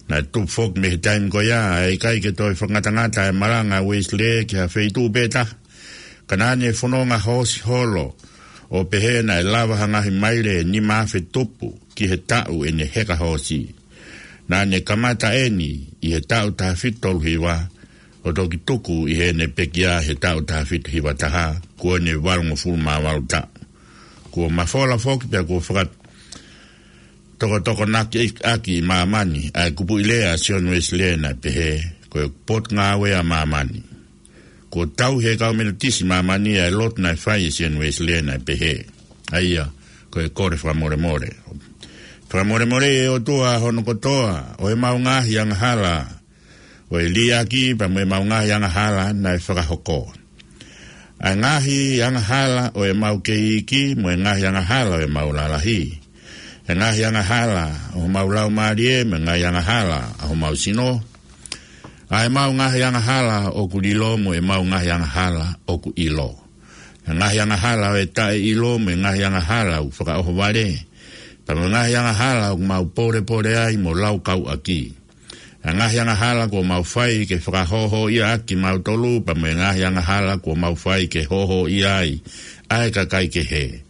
Naʻe tupu foki mei he taimi ko ia ʻa e ʻikai ke toe fakangatangata ʻa e malanga ʻa Uesilē ki ha feituʻu pē taha, ka naʻa ne fononga hoosi holo ʻo pehē naʻe lava ha ngaahi maile ʻe nima afe tupu ki he taʻu ʻene heka hoosi. Naʻa ne kamata ʻeni ʻi he taʻu taha fitu tolu hiva, ʻo toki tuku ʻi heʻene pekia he taʻu taha fitu hiva taha, kuo ne valungofulu mā valu taʻu. Kuo mafola foki pea kuo fakatokotokonaki ʻaki ʻi māmani ʻa e kupuʻi lea ʻa Sione Uesilē naʻe pehē, ko e Potungāue ʻa Māmani. Kuo tauhi ʻe he kau Metotisi ʻi māmani ʻa e lotu naʻe fai ʻe Sione Uesilē naʻe pehē, ʻa ia ko e kole fakamolemole. Fakamolemoleʻi ʻe he ʻOtua hono kotoa ʻo ʻemau ngaahi angahala ʻo e liʻaki pea mo ʻemau ngaahi angahala naʻe fakahoko. ʻA e ngaahi angahala ʻo ʻemau kei iiki mo e ngaahi angahala ʻo ʻemau lalahi. ʻA e ngaahi angahala ʻo homau laumālie mo e ngaahi angahala ʻo homau sino. ʻA ʻemau ngaahi angahala ʻoku lilo mo ʻemau ngaahi angahala ʻoku ʻilo. ʻA e ngaahi angahala ʻo e taʻeʻilo mo e ngaahi angahala ʻoku fakaʻohovale, pea mo e ngaahi angahala ʻoku mau pōlepole ai mo laukau ʻaki. ʻA e ngaahi angahala kuo mau fai ke fakahōhōʻia ʻaki kimautolu, pea mo e ngaahi angahala kuo mau fai ke hōhōʻia ai ʻa e kakai kehe.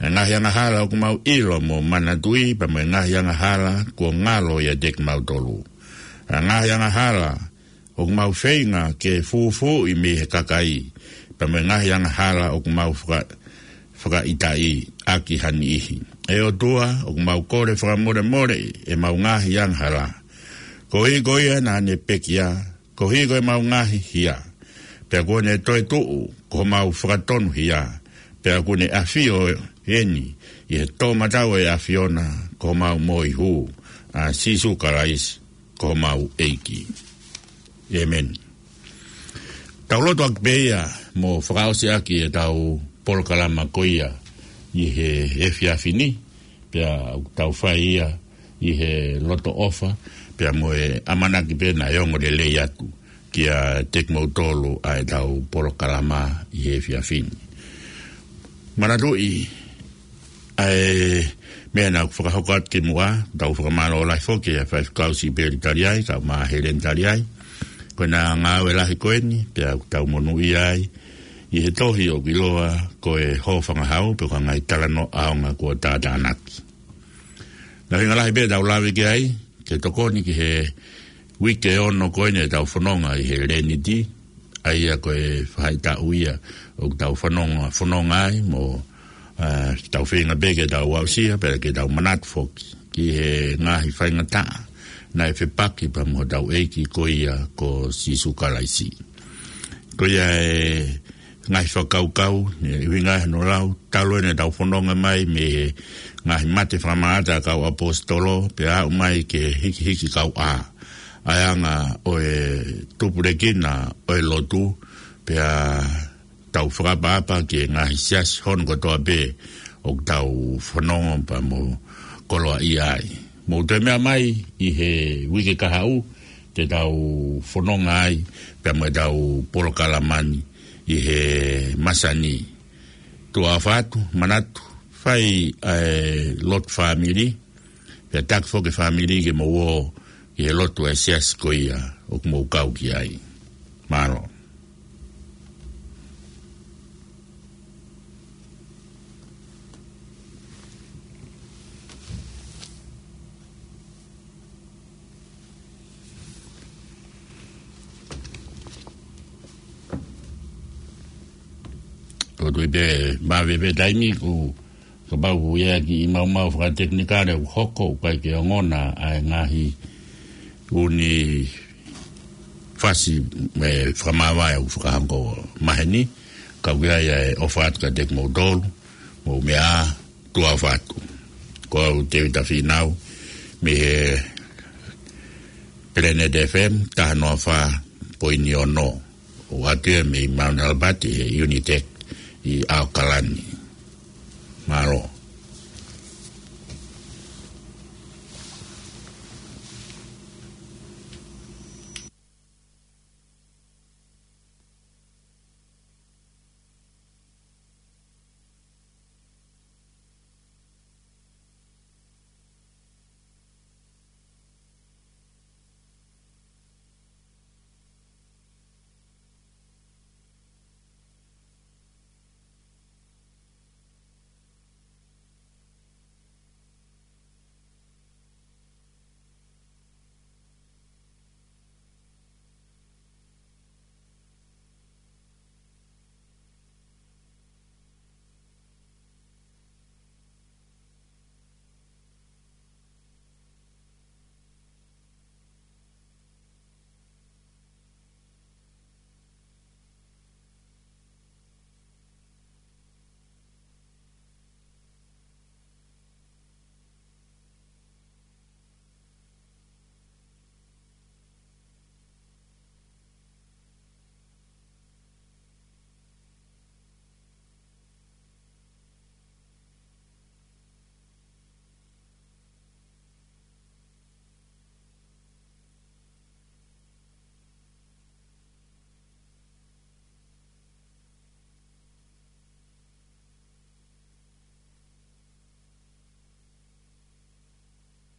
ʻA e ngaahi angahala ʻoku mau ʻilo mo manatuʻi, pea mo e ngaahi angahala kuo ngalo ʻiate kimautolu. ʻA e ngaahi angahala ʻoku mau feinga ke fūfuuʻi mei he kakai, pea mo e ngaahi angahala ʻoku mau faka-, fakaʻitaʻi ʻaki ha niʻihi. ʻE ʻOtua, ʻoku mau kole fakamolemoleʻi ʻemau ngaahi angahala, koeʻuhi ko ia naʻa ne pekia, koeʻuhi ko ʻemau ngaahi hia. Pea kuo ne toetuʻu ko homau fakatonuhia, pea kuo ne ʻafio ʻeni ʻi he toʻomataʻu ʻo e ʻAfiona ko homau moihū, ʻa Sīsū Kalaisi ko homau ʻEiki. ʻĒmeni. Tau lotu ʻaki pē ia mo fakaʻosi ʻaki ʻetau polokalama ko ia ʻi he efiafi ni, pea ʻoku tau fai ia ʻi he loto ʻofa, pea mo e ʻamanaki pē naʻe ongo lelei atu kiate kimoutolu ʻa ʻetau polokalama ʻi he efiafi ni. Manatuʻi ʻa e meʻa naʻa ku fakahoko atu kimuʻa, tau fakamālō lahi foki ʻa e faifekau Sipeli Taliai, kau mā Heleni Taliai. Ko ʻena ngāue lahi ko eni, pea ʻoku tau monūʻia ai ʻi he tohi ʻoku ʻiloa ko e Hōfangahau, pe ko e ngaahi talanoa ʻaonga kuo tātānaki. Naʻe ʻuhinga lahi pē ʻetau lave ki ai, ke tokoni ki he uike ʻe ono ko eni ʻetau fononga ʻi he Leniti, ʻa ia ko e faʻahitaʻu ia ʻoku tau fononga, fononga ai mo, ā, tau feinga pē ke tau aʻusia, pea ke tau manatu foki ki he ngaahi faingataʻa naʻe fepaki pea mo hotau ʻEiki ko ia ko Sīsū Kalaisi. Ko ia e ngaahi fakakaukau, ʻe ʻuhinga hono lau, talu ʻeni ʻetau fononga mai mei he ngaahi mate fakamaʻata ʻa e kau ʻaposetolo, pea aʻu mai ki he hikihiki kauʻā. ʻA e anga ʻo e tupulekina ʻo e lotu, pea tau fakaʻapaʻapa ki he ngaahi siasi hono kotoa pē ʻoku tau fononga pea mo koloaʻia ai. Mou toe meʻa mai ʻi he uike kahaʻu, te tau fononga ai pea mo ʻetau polokalama ni ʻi he masani. Tuʻa ʻofa atu, manatu, fai ʻa e lotu fāmili, pea taki foki e fāmili ke mou ō ki he lotu ʻa e siasi ko ia ʻoku mou kau ki ai. Mālō. ʻOku ou tui pē maveve taimi, kuo kapau ʻoku ʻi ai ha kiʻi maumau fakatekinikale ʻoku hoko, ʻoku ʻikai ke ongona ʻa e ngaahi ʻū fasi mo e fakamāvae ʻoku fakahoko maheni, ka ʻoku ʻi ai ʻa e ʻofa atu kiate kimoutolu, mou meʻa ā, tuʻa ʻofa atu. Ko au Tēvita Fīnau, mei he Planet F M, taha noa fā poini ono. ʻOatu ia mei Mount Albert ʻi he Unitec ʻi ʻAokalani. Mālō.